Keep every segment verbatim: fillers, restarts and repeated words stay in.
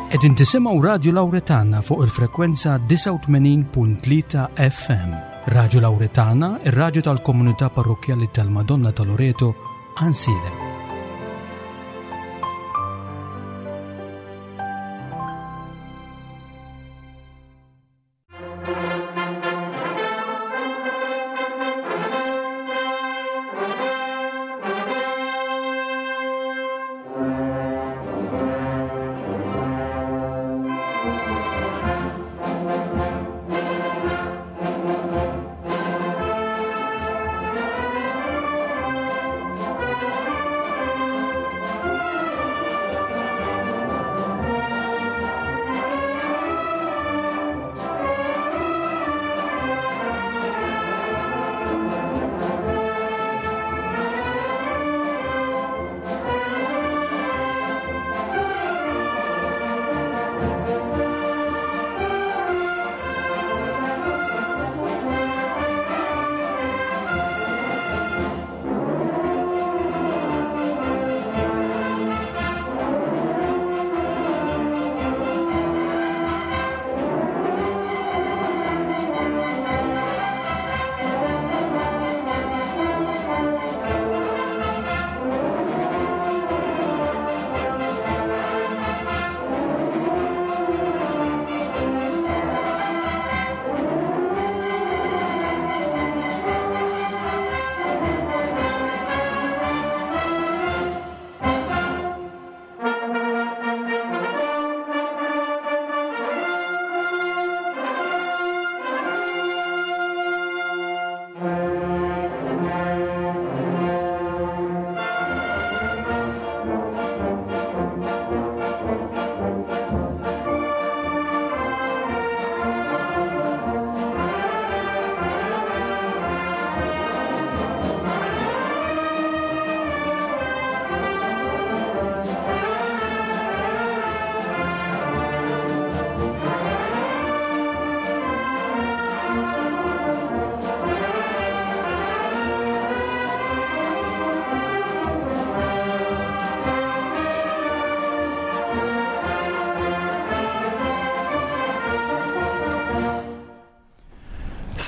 Qegħdin tisimgħu Radju Lawretana fuq il-frekwenza disgħa u tmenin punt tlieta F M. Radju Lawretana, ir-radju tal-komunità parrokkjali tal-Madonna ta' Loreto, Għajnsielem.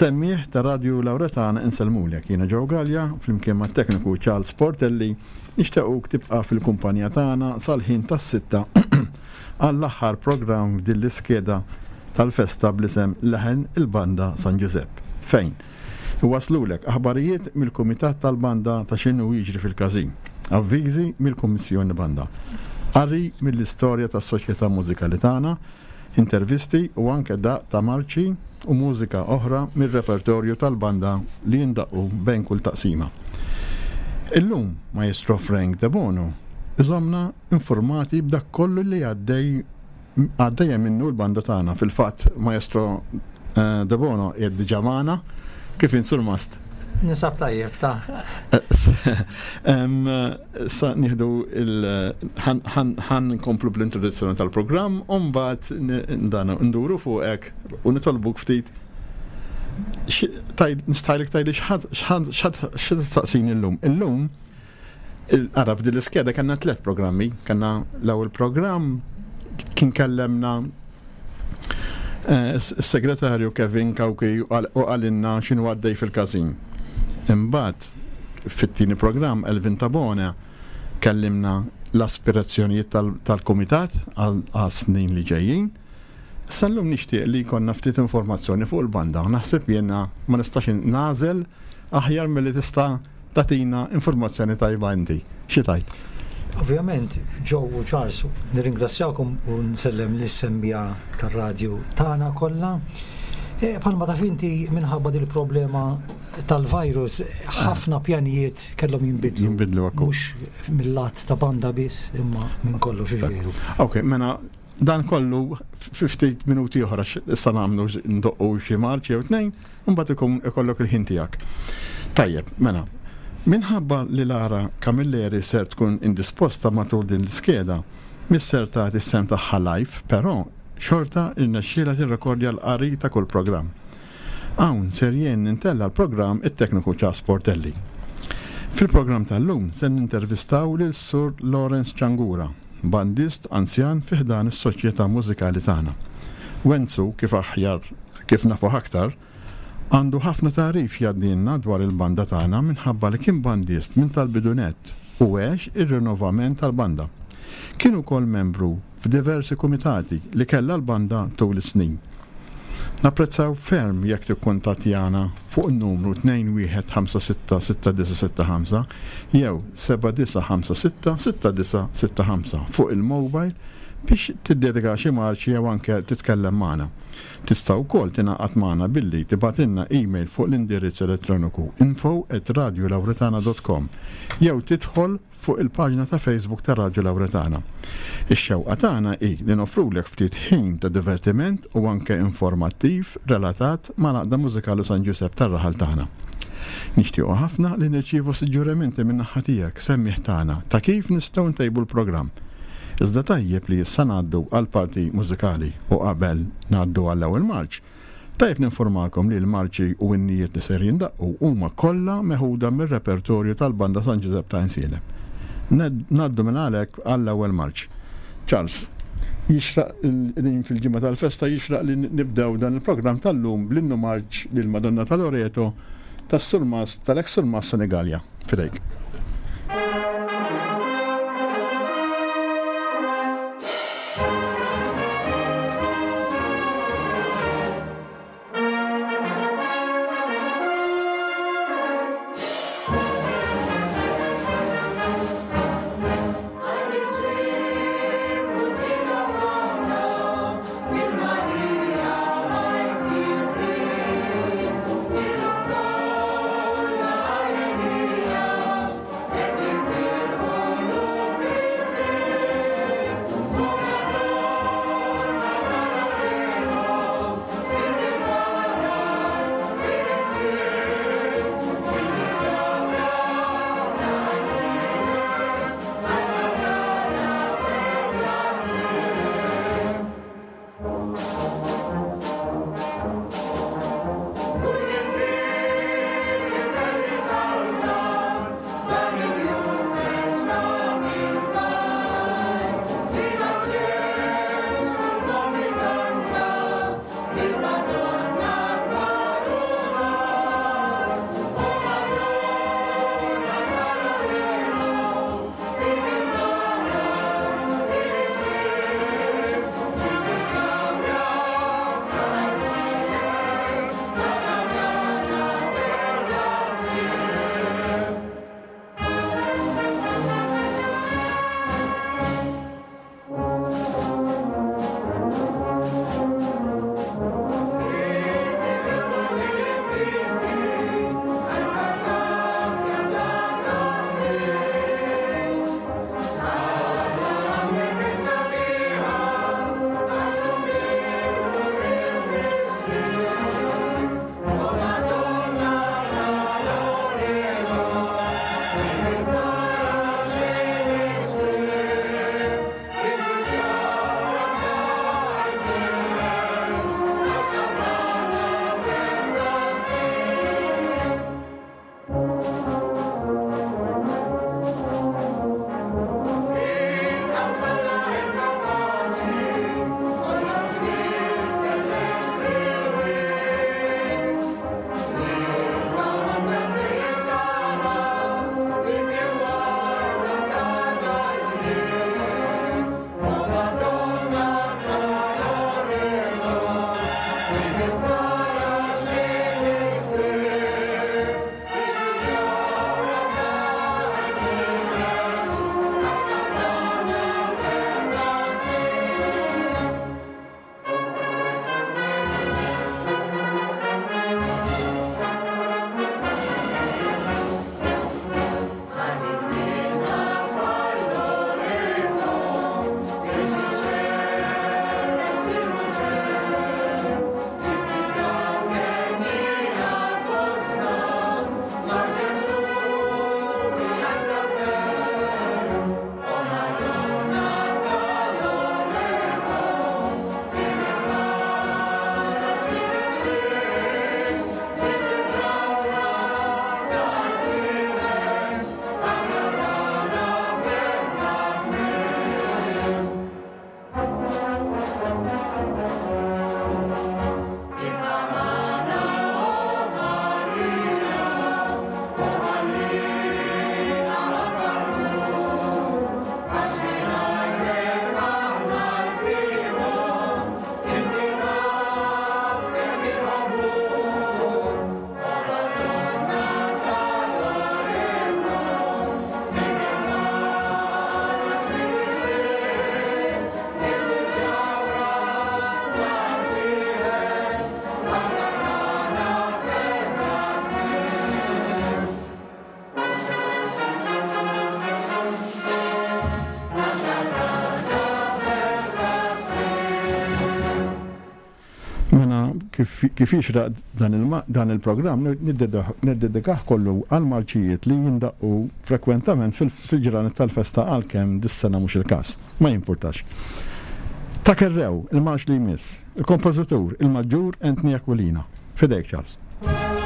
Semmiħ ta' Radju Lawretana insellmulek. Jiena Joe Galea, flimkien mat-tekniku Charles Portelli, nixtiequk tibqa' fil-kumpanija tagħna sal-ħin tas-sitta għall-aħħar programm f'din l-iskeda tal-festa bl-isem Leħen il-Banda San Ġużepp. Fejn? Iwaslulek aħbarijiet mill-Kumitat tal-Banda ta' x'inhu jiġri fil-każin, avviżi mill-Kummissjoni Banda, qari mill-istorja tas-soċjetà mużikali tagħna, intervisti u anke daq ta' marċi u mużika oħra mir-repertorju tal-banda li jindaqqu bejn kull taqsima. Illum, Maestro Frank Debono iżomna informati b'dak kollu li għaddej, għaddejja minnu l-banda tagħna. Fil-fatt, Maestro, eh, Debono qiegħed diġà magħna. Kif insur mast? Nisab tajjeb, ta' Em, sa nieħdu il-, ħan, ħan, ħan nkomplu bl-introduzzjoni tal-programm, u mbagħad n-, dan nduru fuqek u nitolbuk ftit. Xi-, taj-, nistajlek tajli x'ħad, x'ħad, x'ħad, x'ħad tistaqsini llum. Illum, il-, ara, f'din l-iskeda kellna tliet programmi. Kellna l-ewwel programm kien kellemna, eh, s-segretarju Kevin Cauchi u qal-, u qalilna x'inhu għaddej fil-każin. Imbagħad fit-tieni programm Elvin Tabone kellimna l-aspirazzjonijiet tal-, tal-kumitat għal, għal snin li ġejjin. Sal-lum nixtieq li jkollna ftit informazzjoni fuq il-banda. Naħseb jiena ma nistax nagħżel aħjar milli tista' tagħtina informazzjoni tajba inti. Xi tajt? Ovvjament, Joe u Charles, nirringrazzjakom u nsellem lis-semmija tar-radju tagħna kollha. E, Palma taf inti minħabba dil problema tal-virus, ħafna pjanijiet kellhom jinbidlu. Jinbidlu ekku. Mhux mill-lat ta' banda biss, imma minn kollox Dak. veru. Ok, mela dan kollu fi ftit minuti oħra x-, issa nagħmlu x-, ndoqqu xi marċ jew tnejn, u mbagħad ikun ikollok il-ħin tiegħek. Tajjeb, mela, minħabba li Lara Camilleri ser tkun indisposta matul din l-iskeda, misser tagħti s-sem tagħha live, però xorta irnexxielha tirrekordja l-qari ta' kull programm. Hawn ser jien nintella l-programm it-tekniku Charles Portelli. Fil-programm tal-lum se nintervistaw lil Sur Lawrence Ciangura, bandist anzjan fi ħdan is-soċjetà mużikali tagħna. Wenzu, kif aħjar kif nafu aktar, għandu ħafna tagħrif jgħaddilna dwar il-banda tagħna minħabba li kien bandist minn tal-bidu nett u għex ir-rinnovament tal-banda. Kien ukoll membru f'diversi kumitati li kellha l-banda tul is-snin. Napprezzaw ferm jekk tikkuntattjana fuq in-numru tnejn wieħed ħamsa sitta sitta disa' sitta ħamsa jew seba' disa' ħamsa sitta sitta disa' sitta ħamsa fuq il-mobile biex tiddedika xi marċi jew anke titkellem magħna. Tista' wkoll tingħaqad magħna billi tibgħatilna email fuq l-indirizz elettroniku info at radiolauretana dot com jew tidħol fuq il-paġna ta' Facebook ta' Radio Lauretana. Ix-xewqa tagħna hi li nofrulek ftit ħin ta' divertiment u anke informattiv relatat mal-Għaqda Mużikali San Ġusepp tar-raħal tagħna. Nixtiequ ħafna li nirċievu suġġerimenti minn naħa tiegħek semmiħ tagħna ta' kif nistgħu ntejbu l-programm. Iżda tajjeb li issa ngħaddu għal parti mużikali u qabel ngħaddu għall-ewwel marċ. Tajjeb ninformakom li l-marċi u n-nijiet li ser jindaqqu huma kollha meħuda mir-repertorju tal-Banda San Ġużepp ta' Għajnsielem. Ngħaddu minn għalhekk għall-ewwel marċ. Charles, jixraq din fil-ġimgħa tal-festa jixraq li nibdew dan il-programm tal-lum bl-innu marċ lil Madonna ta' Loreto tas-Surmas tal-ex Surmas Senegalja. Fidejk. Yeah. kif kif jixraq dan il- dan il-programm niddedikah kollu għal marċijiet li jindaqqu frekwentament fil-ġranet tal-festa, għalkemm dis-sena mhux il-każ. Ma jimpurtax. Ta' Kerrew, il-marċ li jmiss, il-kompożitur, il-Maġġur Anthony Aquilina. Fidejk, Charles. Thank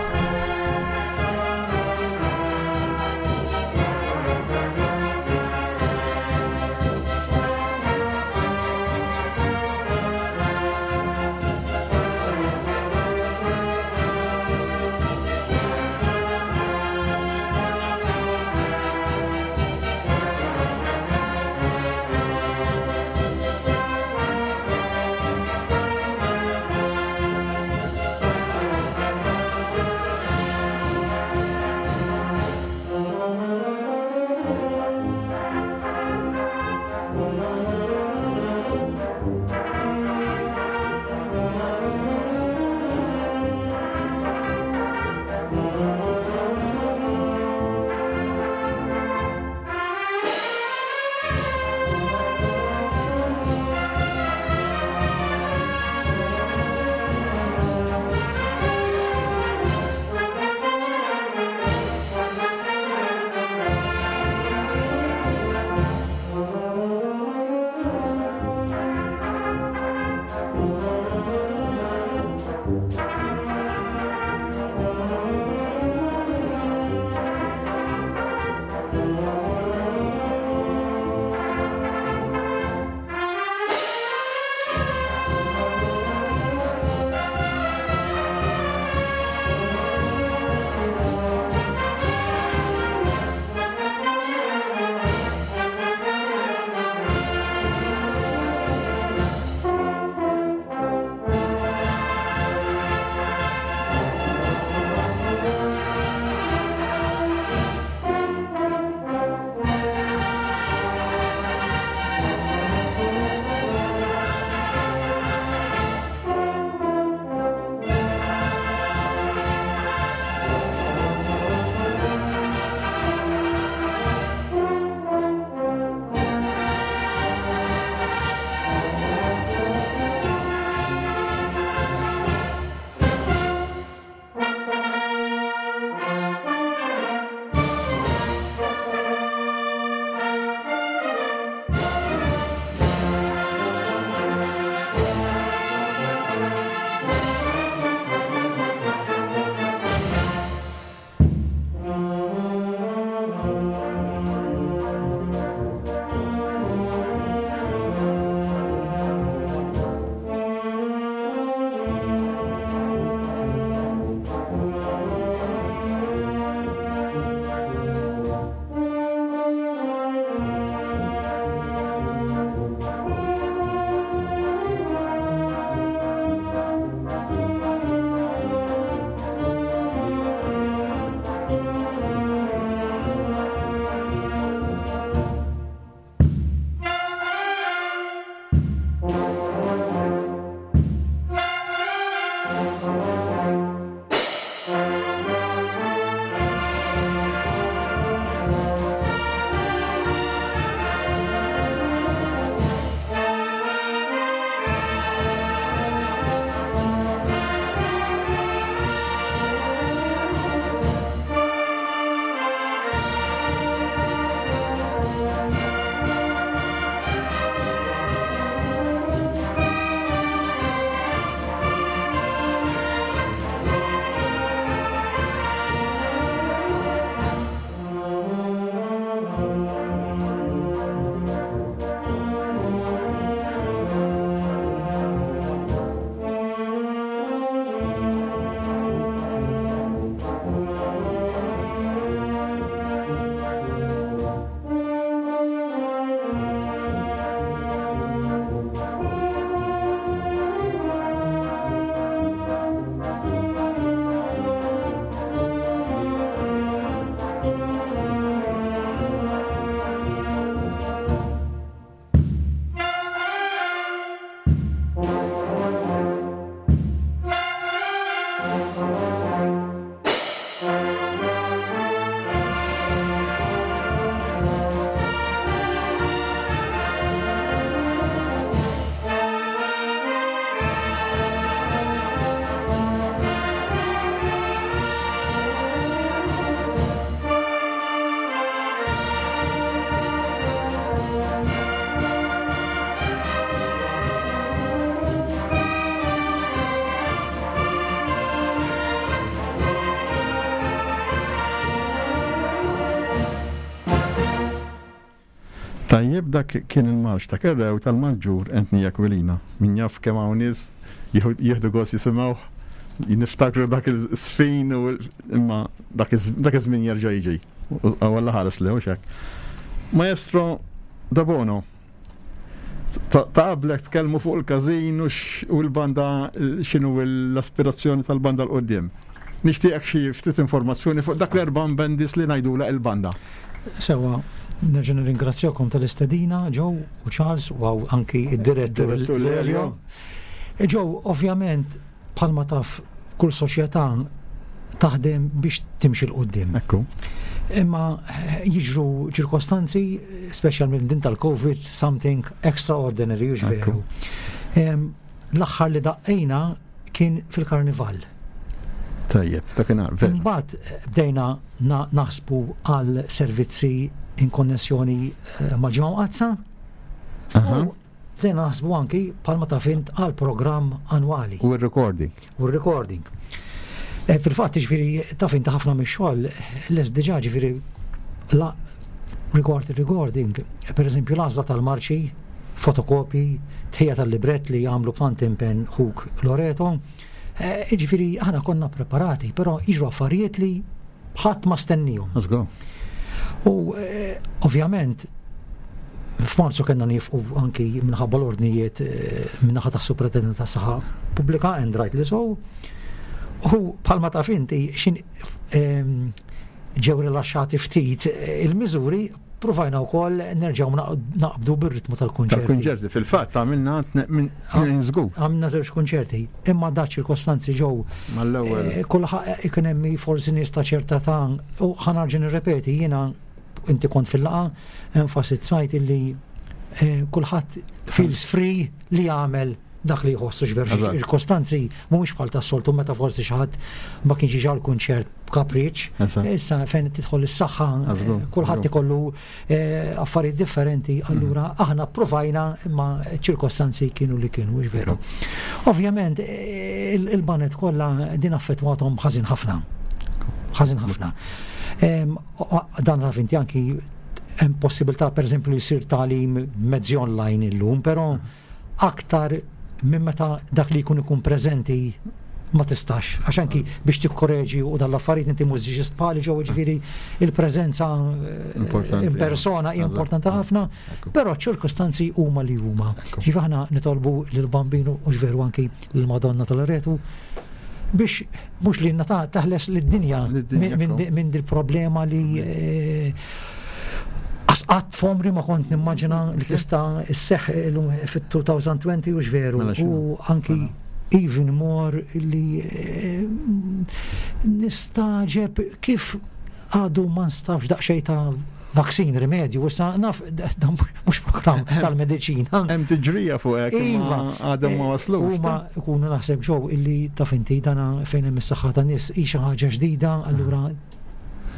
Tajjeb, dak kien il-marx ta' Kerrew tal-Maġġur Anthony Aquilina. Min jaf kemm hawn nies jieħdu gost jisimgħuh, niftakru dak il-sfin u imma dak iż-żmien jerġa' jiġi. U Alla ħares li hux hekk. Maestro Debono, ta' qablek tkellmu fuq il-każin u l-banda, x'inhu l-aspirazzjoni tal-banda 'l quddiem. Nixtieqek xi ftit informazzjoni fuq dak l-erba' bandis li ngħidula il-banda. Sewa, nerġa' nirringrazzjakom tal-istedina, Joe u Charles, u anki id-direttur Lelio. Joe, ovvjament, bħalma taf kull soċjetà taħdem biex timxi 'l quddiem. Ekku. Imma jiġru ċirkostanzi, speċjalment din tal-Covid, something extraordinary, hux veru. L-aħħar li daqqejna kien fil-karnival. Tajjeb, dakinhar, veru. Imbagħad bdejna naħsbu għal servizzi in konnessjoni mal-Ġimgħa Mqaddsa. U bdejna naħsbu anki bħalma taf int għal programm annwali. U r-recording. U r-recording. Fil-fatt, ġifieri, taf int ħafna mix-xogħol les diġà, ġifieri, la rigward il-recording, per eżempju l-għażla tal-marċi, fotokopi, tħejja tal-libret li jagħmlu b'tant impenn ħuk Loreto. Ġifieri, aħna konna preparati, però jiġru affarijiet li ħadd ma stennihom. Let's go. U ovvjament f'Marzu kellna nifqu anki minħabba l-ordnijiet min-naħa tas-Supretendent tas-Saħħa Pubblika, and rightly so. U bħalma taf inti xin ġew rilaxxati ftit il-miżuri, provajna wkoll nerġgħu naqbdu bir-ritmu tal-kunċerti. Tal-kunċerti, fil-fatt għamilna minn żgur. Għamilna żewġ kunċerti, imma da ċirkostanzi ġew mal-ewwel. Kulħadd ikun hemm forsi nies ta' ċerta ta' u ħa nerġa' nirrepeti, jiena inti kont fil-laqgħa enfasizzajt illi kulħadd feels free li jagħmel dak li jħossu, x'veru ċirkostanzi mhumiex bħal tas-soltu meta forsi xi ħadd ma kienx jiġi għall-kunċert b'kapriċ. Issa fejn tidħol is-saħħa, kulħadd ikollu affarijiet differenti, allura aħna provajna imma ċirkostanzi kienu li kienu, mhux veru. Ovvjament il-banet kollha din affettwathom ħażin ħafna. Ħażin ħafna. Dan taf inti anki hemm possibilità pereżempju li jsir tagħlim mezzi online illum, però aktar minn meta dak li jkun ikun preżenti ma tistax, għax anki biex tikkoreġi u dal-affarijiet inti mużiċist bħali ġew, ġifieri il-preżenza in persona hija importanti ħafna, però ċirkostanzi huma li huma. Ġifieri aħna nitolbu lill-Bambinu u veru anki lill-Madonna tal-Loreto biex mhux li nata taħles lid-dinja minn dil-problema li qatt f'għomri ma kont nimmaġina li tista' isseħħ fit-elfejn u għoxrin, u veru, u anki even more li nistaġeb kif għadu ma nstabx daqsxejn ta' vaksin, rimedju, issa naf dan mhux programm tal-mediċina. Hemm tiġrija fuq hekk, Iva, għadhom ma waslux. Huma jkunu naħseb ġew illi taf inti dana fejn hemm is-saħħa tan-nies hi xi ħaġa ġdida, allura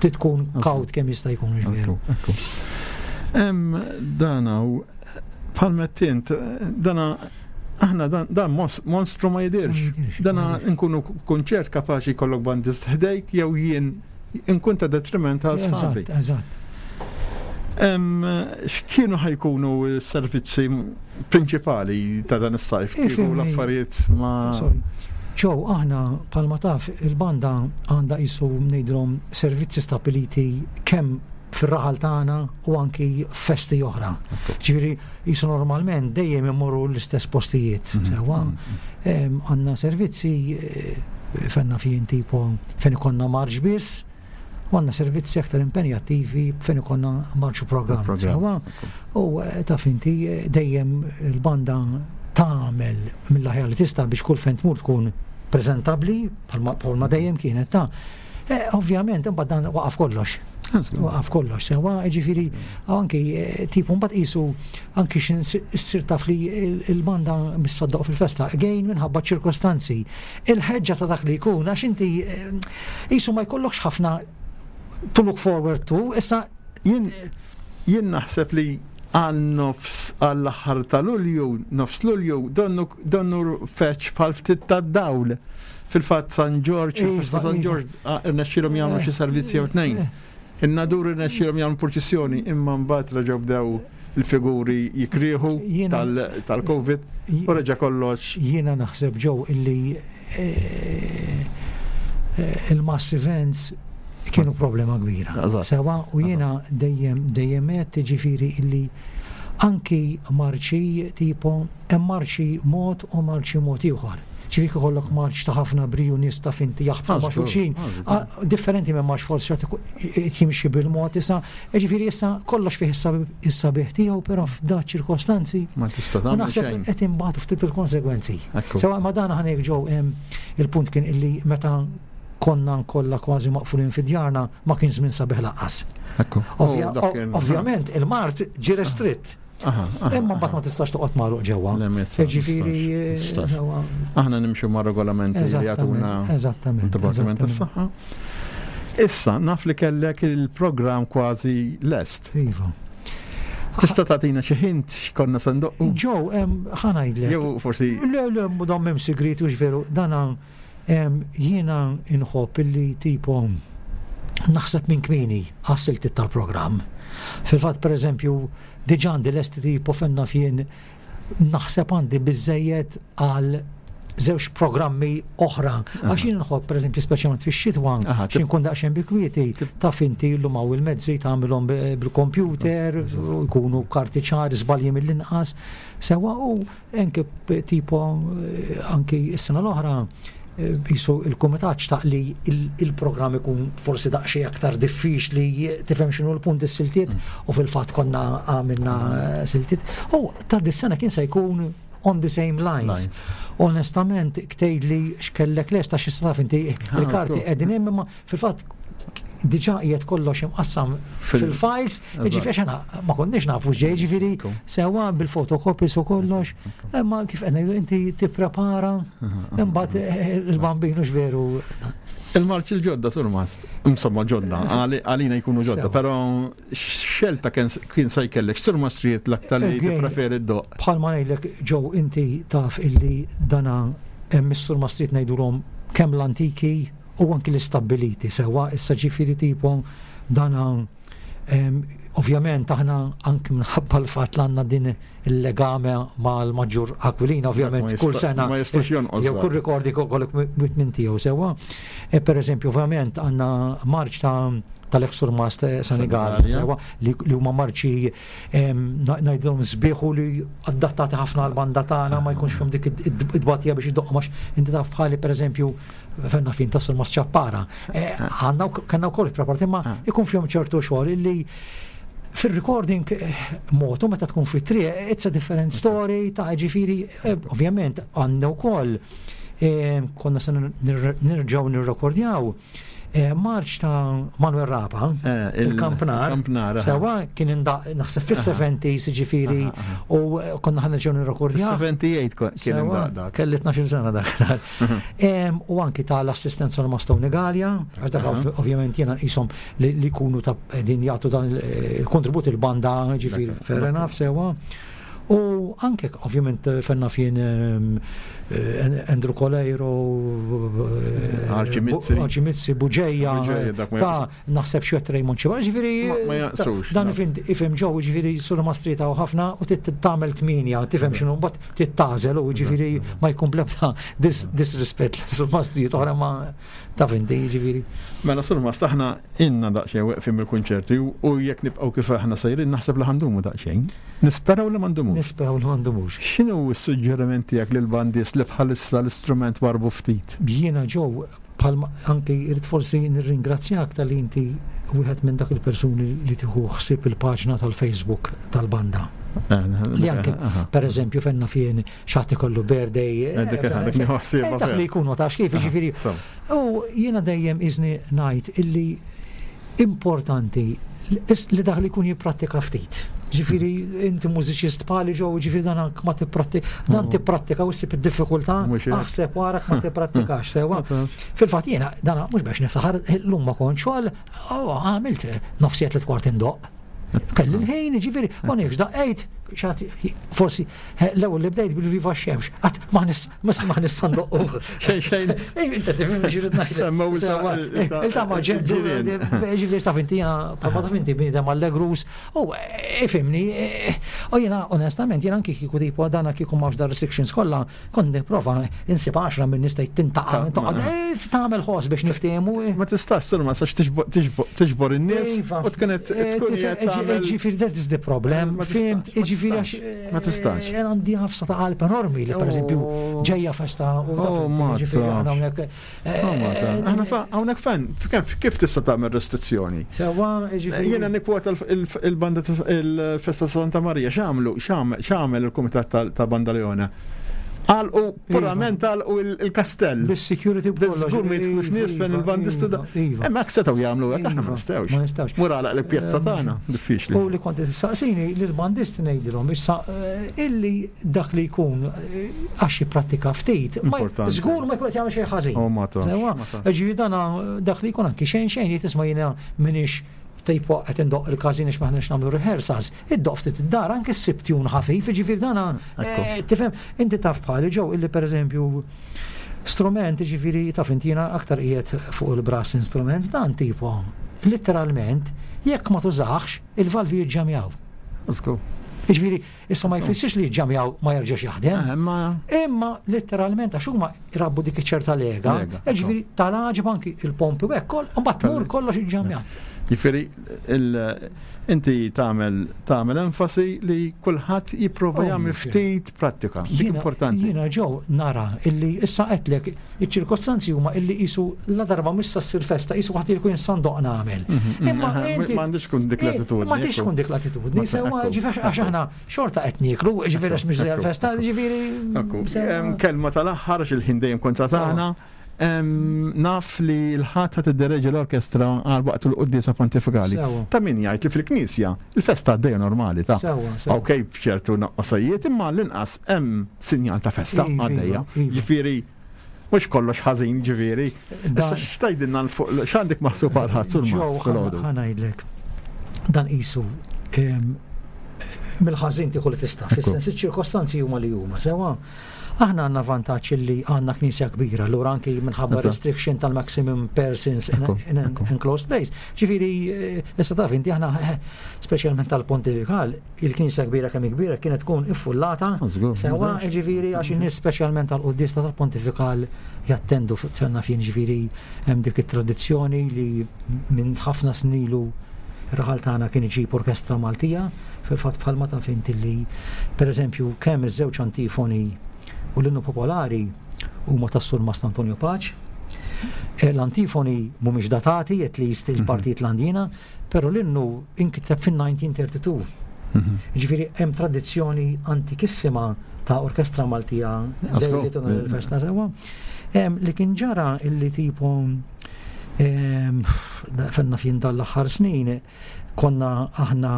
titkun kawt kemm jista' jkun, veru. Hemm dana bħal tint dana aħna dan monstru ma jidirx. Dana nkunu kunċert kapaċi jkollok bandist ħdejk jew jien nkun ta' detriment għal sħabi. Eżatt. X'kienu ħa jkunu s-servizzi prinċipali ta' dan is-sajf? Kieku l-affarijiet ma. Ġew, aħna bħalma taf il-banda għandha qisu ngħidulhom servizzi stabiliti kemm fir-raħal tagħna u anki festi oħra. Ġifieri qisu normalment dejjem immorru l-istess postijiet. Sewwa, għandna servizzi fenna fejn tipo fejn ikollna marċ biss, u għandna servizzi aktar impenjattivi fejn ikollna marċu programm. Sewwa, u taf inti dejjem il-banda tagħmel mill-aħjar li tista' biex kull fejn tmur tkun preżentabbli bħalma dejjem kienet ta'. Ovvjament imbagħad dan waqaf kollox. Waqaf kollox, sewwa, ġifieri anki tipo mbagħad qisu anki x'issir taf li il-banda mis-saddoq fil-festa, again minħabba ċirkostanzi. Il-ħeġġa ta' dak li jkun għax inti qisu ma jkollokx ħafna to look forward to, issa jien jien naħseb li għal nofs għall-aħħar ta' Lulju, nofs Lulju, donnu donnu feċ bħal ftit tad-dawl. Fil-fatt San Ġorġ, il-festa San Ġorġ, irnexxielhom jagħmlu xi servizzi jew tnejn. In-Nadur irnexxielhom jagħmlu purċissjoni, imma mbagħad reġgħu bdew il-figuri jikrieħu Jiena- tal- tal-Covid u reġa' kollox. Jiena naħseb ġew illi eh, eh, il-mass events kienu problema kbira. Eżatt. Sewa u jiena dejjem dejjem qed ġifieri illi anki marċi tipo hemm marċi mod u marċi mod ieħor. Ġifieri ikollok marċ ta' ħafna briju nies ta' finti jaħbtu Ah, ma' żgur, xulxin. ah, żgur. Ah, Differenti minn marċ forsi xi ħadd jimxi bil-mod issa, ġifieri issa kollox fih is-sabiħ tiegħu, però f'da ċirkostanzi Ma tista' U tagħmel naħseb xejn. qed imbagħtu ftit il-konsegwenzi. Ekku. Sewa ma dan ħanek ġew hemm il-punt kien illi meta konna kollha kważi maqfulin fi djarna ma kien żmien sabiħ lanqas. Ekku. Ovvja- Oh, dak kien- Ovvjament il-mard ġie restritt. Aha, aha, Imma mbagħad ma tistax toqgħod magħluq ġewwa. Le, ma jistax, Ġifieri jistax. sewwa- Aħna nimxu ma' regolamenti li jagħtuna Eżattament, eżattament. il-Dipartiment eżattament. tas-Saħħa. Issa naf li kellek il-programm kważi lest. Iva. Tista' tagħtina xi hint x'konna se ndoqqu? Ġew, em, ħa ngħidlek. Jew forsi Le, le, dan m'hemm sigriet u veru, dana em, jiena inħobb illi tipo naħseb minn kmieni għas-siltiet tal-programm. Fil-fatt, per eżempju, diġà għandi lesti tipo fenna fien naħseb għandi biżejjed għal żewġ programmi oħra. Għax jien nħobb, per eżempju, speċjalment fix-xitwa, Aha, xi nkun daqsxejn bi kwieti, taf inti llum hawn il-mezzi tagħmilhom b- bil-computer, u jkunu karti ċari, żbalji mill-inqas. Sewa u anke p- tipo eh, anki s-sena l-oħra eh, jisu il-kumitat xtaq li il- il-programm ikun forsi daqsxejn aktar diffiċli tifhem x'inhu l-punt is-siltiet u fil-fatt konna għamilna eh, siltiet. U ta' dis-sena kien se jkun on the same lines. Lines. Onestament, ktejli x'kellek lesta xi taf inti il-karti żgur. qegħdin hemm imma fil-fatt diġà qiegħed kollox imqassam Fil- fil-files, Eżatt. ġifieri aħna ma konniex nafu x'ġej, ġifieri Ekku. sewa bil-fotocopies u kollox, imma kif qed ngħidu inti tipprepara, imbagħad eh, il-bambinu x'veru. Il-marċ il-ġodda surmast, insomma ġodda, għali- għalina jkunu ġodda, Sewa. però xelta kien kien se jkellek surmastrijiet l-aktar li Again. tippreferi d-doq. Bħalma ngħidlek ġew inti taf illi dana hemm is-surmastrijiet ngħidulhom kemm l-antiki u anki l-istabbiliti sewa issa ġifieri tipo dana em, ovvjament aħna anki minħabba l-fatt li għandna din il-legame mal-maġġur Aquilina ovvjament Ma kull jista- sena ma jistax jonqos jew dak. kull rikordi kollok minn tiegħu sewa. E, per eżempju ovvjament għandna marċ ta' tal-ex-surmast Senegal Senegalia. sewa li li huma marċi em, na- ngħidilhom sbieħu li adattati ħafna għal banda tagħna ma jkunx fihom dik id- id- id-batija biex iddoqq għax inti taf bħali pereżempju fenna fin tas surmast Ċappara. Eh, Għandna wk- kellna wkoll preparati imma ikun fihom ċertu xogħol illi fil-recording eh, motu meta tkun fit-triq it's a different story ta' ġifieri eh, ovvjament għandna wkoll eh, konna se nir- nirġgħu nirrekordjaw eh, marċ ta' Manuel Rapa Eh, il- il-Kampnar il-Kampnar, aha. sewa kien indaq naħseb fis-seventies ġifieri u eh, konna ħa nerġgħu nirrekordjaw sebgħa u sebgħin ko- kien Sewa, indaq dak. Kelli tnax-il sena dak. Em, U anki tal-assistenza l Mastoni Gallia, għax dak Aha. ov- ovvjament jena jisom li li jkunu ta' din jagħtu dan il- il-kontribut il-banda ġifieri Dak- fair dak. enough sewa. U anke ovvjament fenna fien em, eh, Andrew Coleiro, eh, Archie Mizzi. Bu- Archie Mizzi, Buġeja, Buġeja, dak ma ta' jaqsux. naħseb xi Raymond Ċiba, ġifieri Ma- ma jaqsux, dan dak. ifim ifhem ġew ġifieri sur mastrita u ħafna u tagħmel tminja, tifhem x'inhu mbagħad tittażel u ġifieri ma jkun blebda dis disrispett sur mastrijiet oħra ma taf inti ġifieri. Mela surmast aħna inna daqsxejn weqfin mill-kunċerti u u jekk nibqgħu kif aħna sejrin naħseb li ħa ndumu daqsxejn. Nisperaw li ma ndumux. Nisperaw li ma ndumux. X'inhu s-suġġeriment tiegħek lill-bandis li bħalissa l-istrument warbu ftit? Jiena ġew bħalma anki irrid forsi nirringrazzjak tal-li inti wieħed minn dak il-persuni li tieħu ħsieb il-paġna tal-Facebook tal-banda. Li anke, per eżempju, fenna fien xatt ikollu birthday. Eh, dik- eh, dik nieħu ħsiebha eh, Dak fer. li jkunu tax kif, ġifieri. U jiena dejjem iżni ngħid illi importanti li li dak li jkun jipprattika ftit. Ġifieri inti mużiċist bħali ġew, ġifieri dan anke ma tipprattika, dan tipprattika u ssib id-diffikultà, Mhux hekk. aħseb warak ma tipprattikax sewa. Fil-fatt jiena dan mhux biex niftaħar llum ma kontx xogħol, oh, għamilt nofsijiet li kwart indoq. Kelli l-ħin, ġifieri, ma nifx daqqejt, Xat, forsi, l-ewwel li bdejt bil-Viva Xemx, għat ma nista ndoqqu. Xejn xejn. Inta tifhimni xi rrid ngħid. Il ta' ma ġentu, ġifieri taf inti jiena bħalma taf inti bniedem allegrus, u ifhimni, u jiena onestament jiena anki kieku tipo dana kieku m'hawnx dar restrictions kollha, kont nipprova insib għaxra minn nista' tintaqa' toqgħod tagħmel ħoss biex niftehmu. Ma tistax sur ma sax tiġbor in-nies u tkun tkun Ġifieri that is the problem. Fimt, ġifieri Ma tistax. Jien għandi ħafsa ta' qalb enormi li pereżempju ġejja festa u ta' ġifieri aħna hawnhekk. Aħna hawnhekk fan, kif tista' tagħmel restrizzjoni? Sewwa, ġifieri. Jiena nikkwota il-banda il-festa Santa Marija x'għamlu x'għamel il-kumitat ta' Banda Leona. Għalqu, purament għalqu il-kastell. Bis-security b'kollox. Żgur ma jidħlux nies fejn il-bandistu da. Hemm hekk setgħu jagħmlu hekk, aħna ma nistgħux. Ma nistgħux. Mur għalaq l-pjazza tagħna, diffiċli. U li kont tistaqsini li l-bandisti ngħidilhom issa illi dak li jkun għax jipprattika ftit, żgur ma jkun qed jagħmel xejn ħażin. Ġifieri dana dak li jkun anki xejn xejn li tisma' jiena m'iniex tipo qed indoq il-każin għax m'aħniex nagħmlu rehearsals, iddoq ftit id-dar anke ssib tune ħafif, ġifieri dana tifhem inti taf bħali ġew illi pereżempju strument ġifieri taf inti jiena aktar qiegħed fuq il-brass instruments dan tipo letteralment jekk ma tużax il-valvi jiġġamjaw. Let's go. Ġifieri issa ma jfissirx li jiġġamjaw ma jerġax jaħdem. Imma letteralment għax huma jrabbu dik iċ-ċerta lega, ġifieri tal-għaġeb anki il-pompi u hekk, mbagħad tmur kollox iġġamjat. Jiġifieri inti tagħmel tagħmel enfasi li kulħadd jipprova jagħmel ftit prattika. Dik importanti. Jiena ġew nara illi issa qedlek iċ-ċirkostanzi huma illi qisu la darba mhux sa ssir festa qisu waħd jkun sandoq nagħmel. Imma inti m'għandix tkun dik l-attitudni. M'għandix tkun dik l-attitudni, sewwa ġifieri għax aħna xorta qed nieklu, ġifieri għax mhix l-festa, ġifieri. Kelma tal-aħħar għax il-ħin dejjem kontra tagħna. Naf li l-ħadd ta' tiddereġi l-orkestra għal waqt il-quddiesa pontifikali. Ta' min jgħid li fil-knisja il-festa għaddejja normali ta' ok, b'ċertu naqqasajiet, imma l-inqas hemm sinjal ta' festa għaddejja. Ġifieri mhux kollox ħażin, ġifieri. Issa x'tgħidilna fuq x'għandek maħsub għal ħadd sul mas filgħodu? Ħa ngħidlek. Dan qisu mill-ħażin tieħu li tista' fis-sens iċ-ċirkostanzi huma li huma sewwa. Aħna għandna vantaġġ li għandna knisja kbira, allura anki minħabba restriction tal-maximum persons in enclosed place. Ġifieri, issa taf inti aħna speċjalment tal-pontifikal, il-knisja kbira kemm kbira kienet tkun iffullata. Sewwa, ġifieri għax in-nies speċjalment tal-quddiesa tal-pontifikal jattendu fenna fien ġifieri hemm dik it-tradizzjoni li minn ħafna snilu ir-raħal tagħna kien iġib orkestra Maltija, fil-fatt bħalma taf inti li pereżempju kemm iż-żewġ antifoni u l-innu popolari huma tas-Surmast Antonio Pace. L-antifoni mhumiex datati, at least il-partijiet l-għandina, però l-innu inkiteb fin-nineteen thirty-two. Ġifieri hemm tradizzjoni antikissima ta' orkestra Maltija li tonor il-festa sewwa. Li kien ġara illi tipo fenna fien dal-aħħar snin konna aħna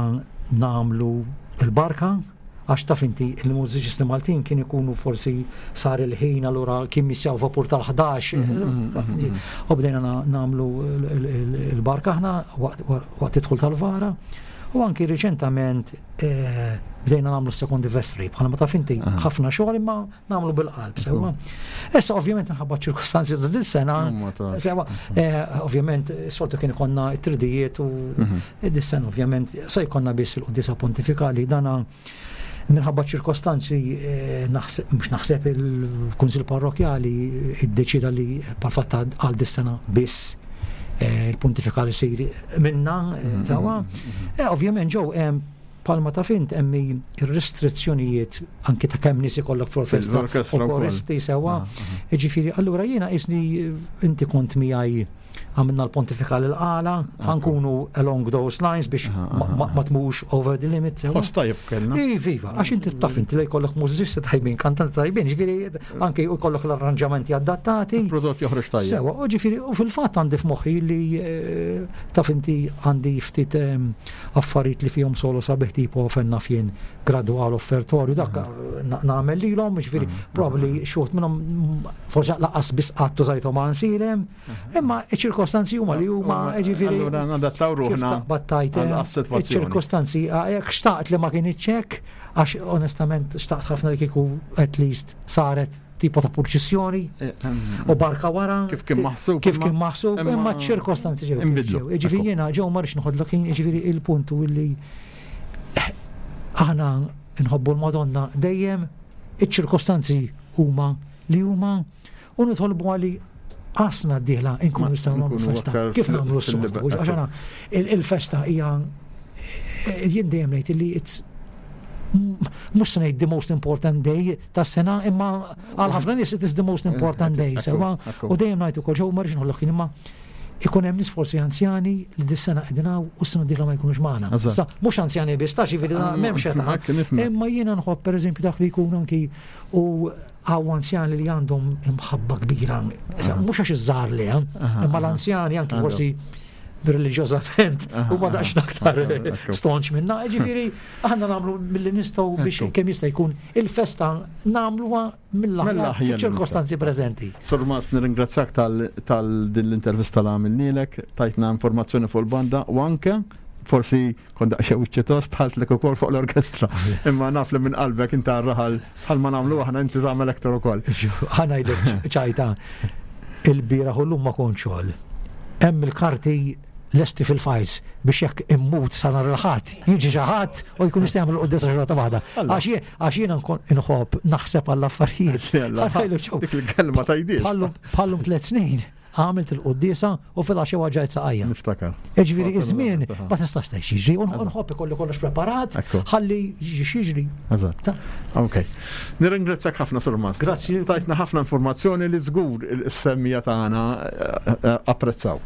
nagħmlu il-barka għax taf inti il-mużiċisti Maltin kien ikunu forsi sar il-ħin allura kien missjaw vapur tal-ħdax. U bdejna nagħmlu il-barka aħna waqt idħul tal-vara. U anki riċentament bdejna nagħmlu sekondi vespri, bħala ma taf inti ħafna xogħol imma nagħmlu bil-qalb sewwa. Issa ovvjament minħabba ċirkustanzi ta' din sena, sewwa, ovvjament soltu kien ikollna t-tridijiet u dis-sena ovvjament se jkollna biss il-quddiesa pontifikali dana minħabba ċirkostanzi naħseb mhux naħseb il-Kunsill Parrokjali iddeċida li bħal-fatt għal dis-sena biss il-pontifikali sir minna sewwa. Ovvjament ġew bħalma taf int hemm ir-restrizzjonijiet anki ta' kemm nies ikollok fl-orkestra u koristi sewwa. Ġifieri allura jiena qisni inti kont miegħi għamilna l-pontifikal il-qala, ħankunu along those lines biex ma tmux over the limit. Ħoss tajjeb kellna. Iva, għax inti taf inti li jkollok mużiċisti tajbin, kantanti tajbin, ġifieri anke jkollok l-arranġamenti adattati. Il-prodott joħroġ tajjeb. Sewa, u ġifieri u fil-fatt għandi f'moħħi li taf inti għandi ftit affarijiet li fihom solo sabiħ tipo fenna fien gradwal offertorju, dak nagħmel lilhom, ġifieri probabbli xi wħud minnhom forsi laqas biss qatt użajthom għansilem, imma Iċ-ċirkostanzi huma li huma ġifieri. Allura nadattaw ruħna. Battajt iċ-ċirkostanzi jekk xtaqt li ma kienx hekk, għax onestament xtaqt ħafna li kieku at least saret tipo ta' purċissjoni u barka wara. Kif kien maħsub. Kif kien maħsub, imma ċ-ċirkostanzi ġew. Ġifieri jiena ġew ma rridx noħodlok ħin, ġifieri il-punt illi aħna nħobbu l-Madonna dejjem, iċ-ċirkostanzi huma li huma u nitolbu għali għasna d-dieħla nkunu nistgħu nagħmlu festa. Kif nagħmlu s-soltu? Għax aħna il-festa hija jien dejjem ngħid illi it's mhux se ngħid the most important day tas-sena, imma għal ħafna nies it is the most important day. Sewa, u dejjem ngħid ukoll ġew ma rridx noħloq ħin, imma ikun hemm nies forsi anzjani li dis-sena qegħdin hawn u s-sena d-dieħla ma jkunux magħna. Sa mhux anzjani biss, ta' ġifieri m'hemmx età. Imma jiena nħobb pereżempju dak li jkun anki u hawn anzjani li għandhom imħabba kbira. Mhux għax iż-żgħar li, imma l-anzjani anki forsi reliġjożament u ma daqx aktar stonċ minna. Ġifieri aħna nagħmlu milli nistgħu biex kemm jista' jkun il-festa nagħmluha mill-aħjar ċirkostanzi preżenti. Sur Mas, nirringrazzjak tal din l-intervista li għamilnielek, tajtna informazzjoni fuq il-banda u anke forsi kont daqsxejn wiċċi tost ħaltlek ukoll fuq l-orkestra. Imma naf li minn qalbek inta raħal bħal ma nagħmlu aħna inti tagħmel aktar ukoll. Ħa ngħidlek ċajta, il-bieraħ u llum ma kontx xogħol. Hemm il-karti lesti fil-files biex jekk immut sa nhar il-Ħadd, jiġi xi ħadd u jkun jista' jagħmel quddiesa xorta waħda. Għax jiena nkun inħobb naħseb għall-affarijiet. Dik il-kelma tgħidix. Bħallum tliet snin għamilt il-quddiesa u fil-għaxija waġġajt saqajja. Niftakar. Jiġifieri iż-żmien ma tistax tgħid jiġri, u nħobb ikolli kollox preparat, ħalli jiġi x'jiġri. Eżatt. Ok. Nirringrazzjak ħafna Sur Mas. Grazzi. Tajtna ħafna informazzjoni li żgur is-semmija tagħna apprezzaw.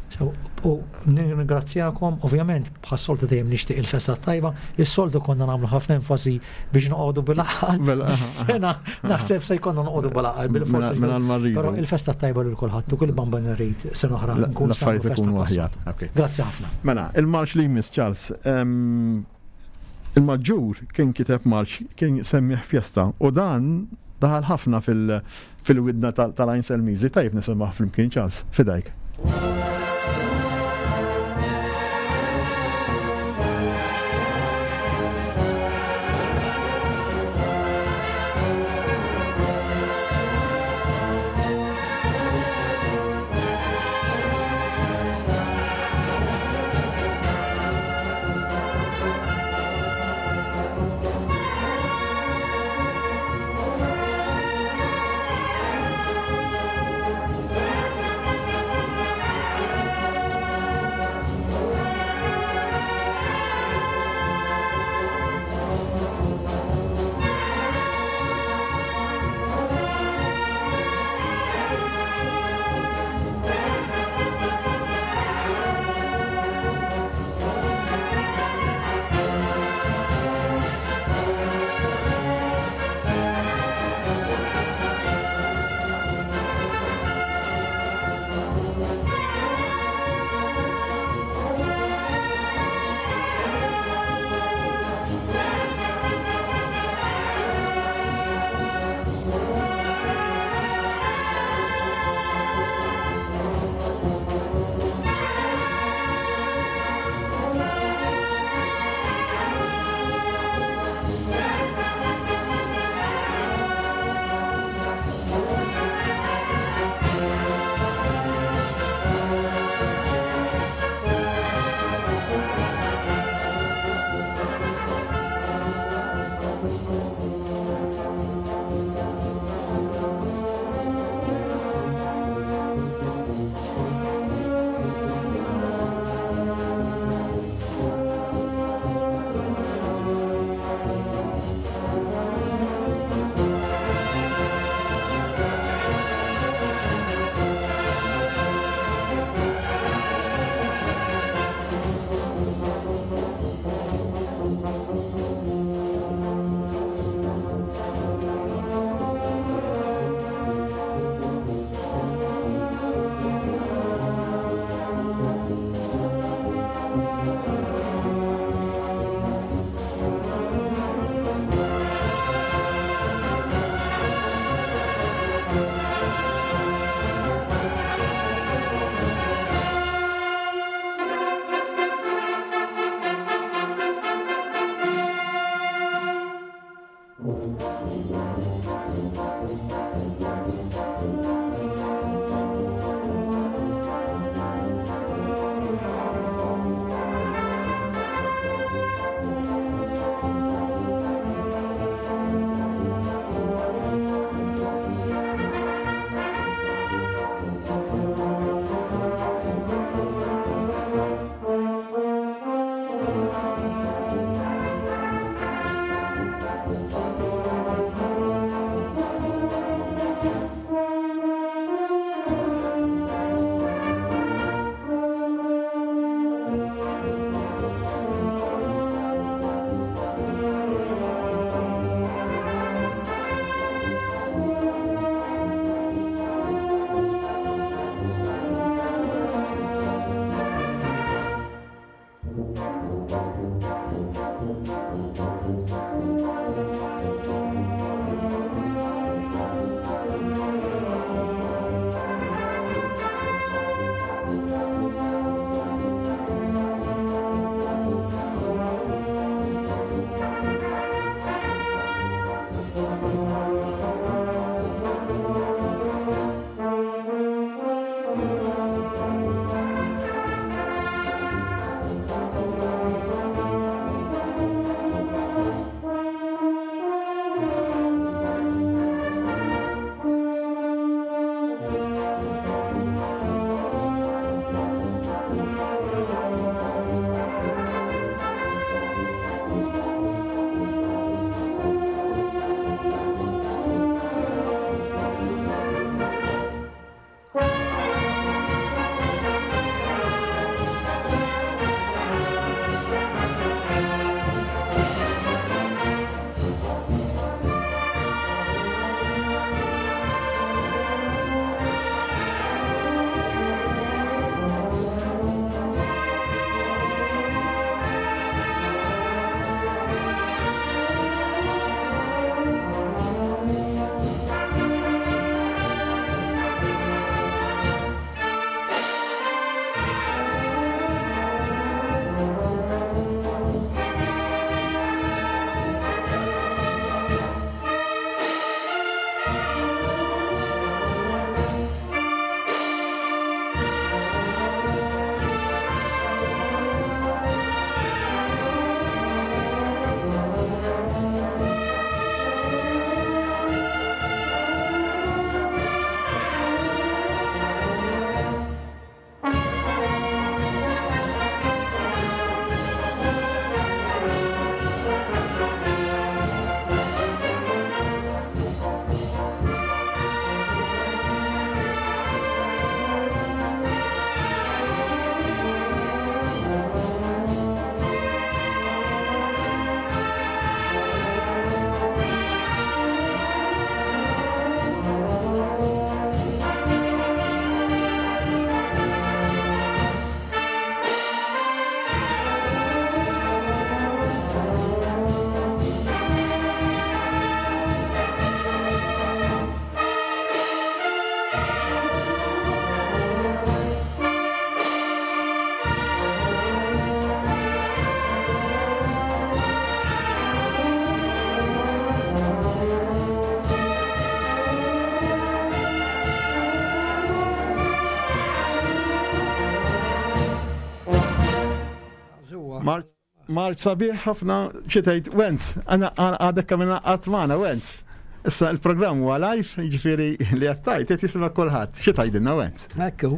U nirringrazzjakom, ovvjament bħas-soltu dejjem nixtieq il-festa tajba, is-soltu konna nagħmlu ħafna enfasi biex noqogħdu bil-għaqal. Is-sena naħseb se jkollna noqogħdu bil-għaqal bil-forsi. Però il-festa tajba lil kulħadd u kull bamba nirrid sena oħra nkun l-affarijiet ikunu aħjar. Grazzi ħafna. Mela, il-marċ li jmiss Charles, il-maġġur kien kiteb marċ kien semmih Fiesta u dan daħal ħafna fil-widna tal-Għajn Selmiżi. Tajjeb nisimgħu flimkien Charles, fidajk. Thank you. Marċ sabiħ ħafna xi tgħid Wenz, għana għadek kemm ingħaqadt magħna Wenz. Issa il-programm huwa live, jiġifieri li qed tgħid qed jisma' kulħadd. Xi tgħidilna Wenz? Ekku.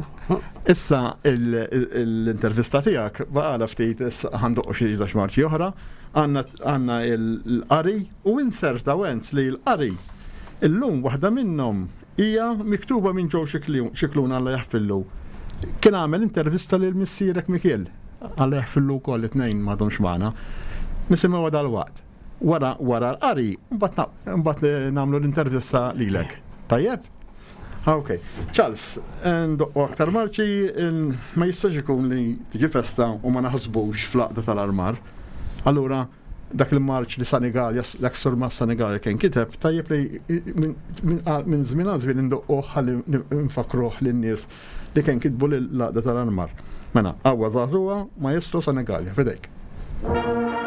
Issa l-intervista tiegħek baqgħala ftit issa ħandoqqu xi żewġ marċi oħra, għandna l-qari u inserta Wenz li l-qari illum waħda minnhom hija miktuba minn Joe Scicluna Alla jaħfillu. Kien għamel intervista lil missierek Mikiel. Alla jaħfillu wkoll it-tnejn m'għadhomx magħna. Nisimgħu dal-waqt. Wara wara l-qari, mbagħad nagħmlu l-intervista lilek. Tajjeb? Ok. Charles, ndoqqu aktar marċi, ma jistax ikun li tiġi festa u ma naħsbux fl-għaqda tal-armar. Allura, dak il-marċ li Sanigalja, l-eksur ma' Sanigalja kien kiteb, tajjeb li minn żmien għal żmien indoqquh ħalli nfakruh lin-nies li kien kitbu l-għaqda tal-armar. Mela, Għawwa Żagħżugħa, Maestro Sanigalja, fidejk. Thank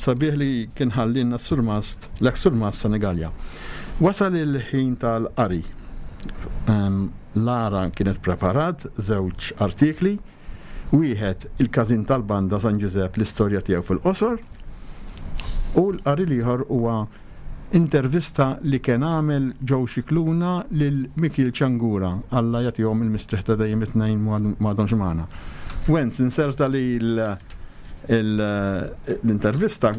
sabiħ li kien ħallinna s-surmast, l-eks surmast Senegalja. Wasal il-ħin tal-qari. Lara kienet preparat żewġ artikli, wieħed il-każin tal-banda San Ġużepp l-istorja tiegħu fil-qosor, u l-qari l-ieħor huwa intervista li kien għamel Joe Scicluna lil Mikiel Ciangura, Alla jagħtihom il-mistrieħ ta' dejjem it-tnejn m'għadhomx magħna. Wenz, inserta li l-intervista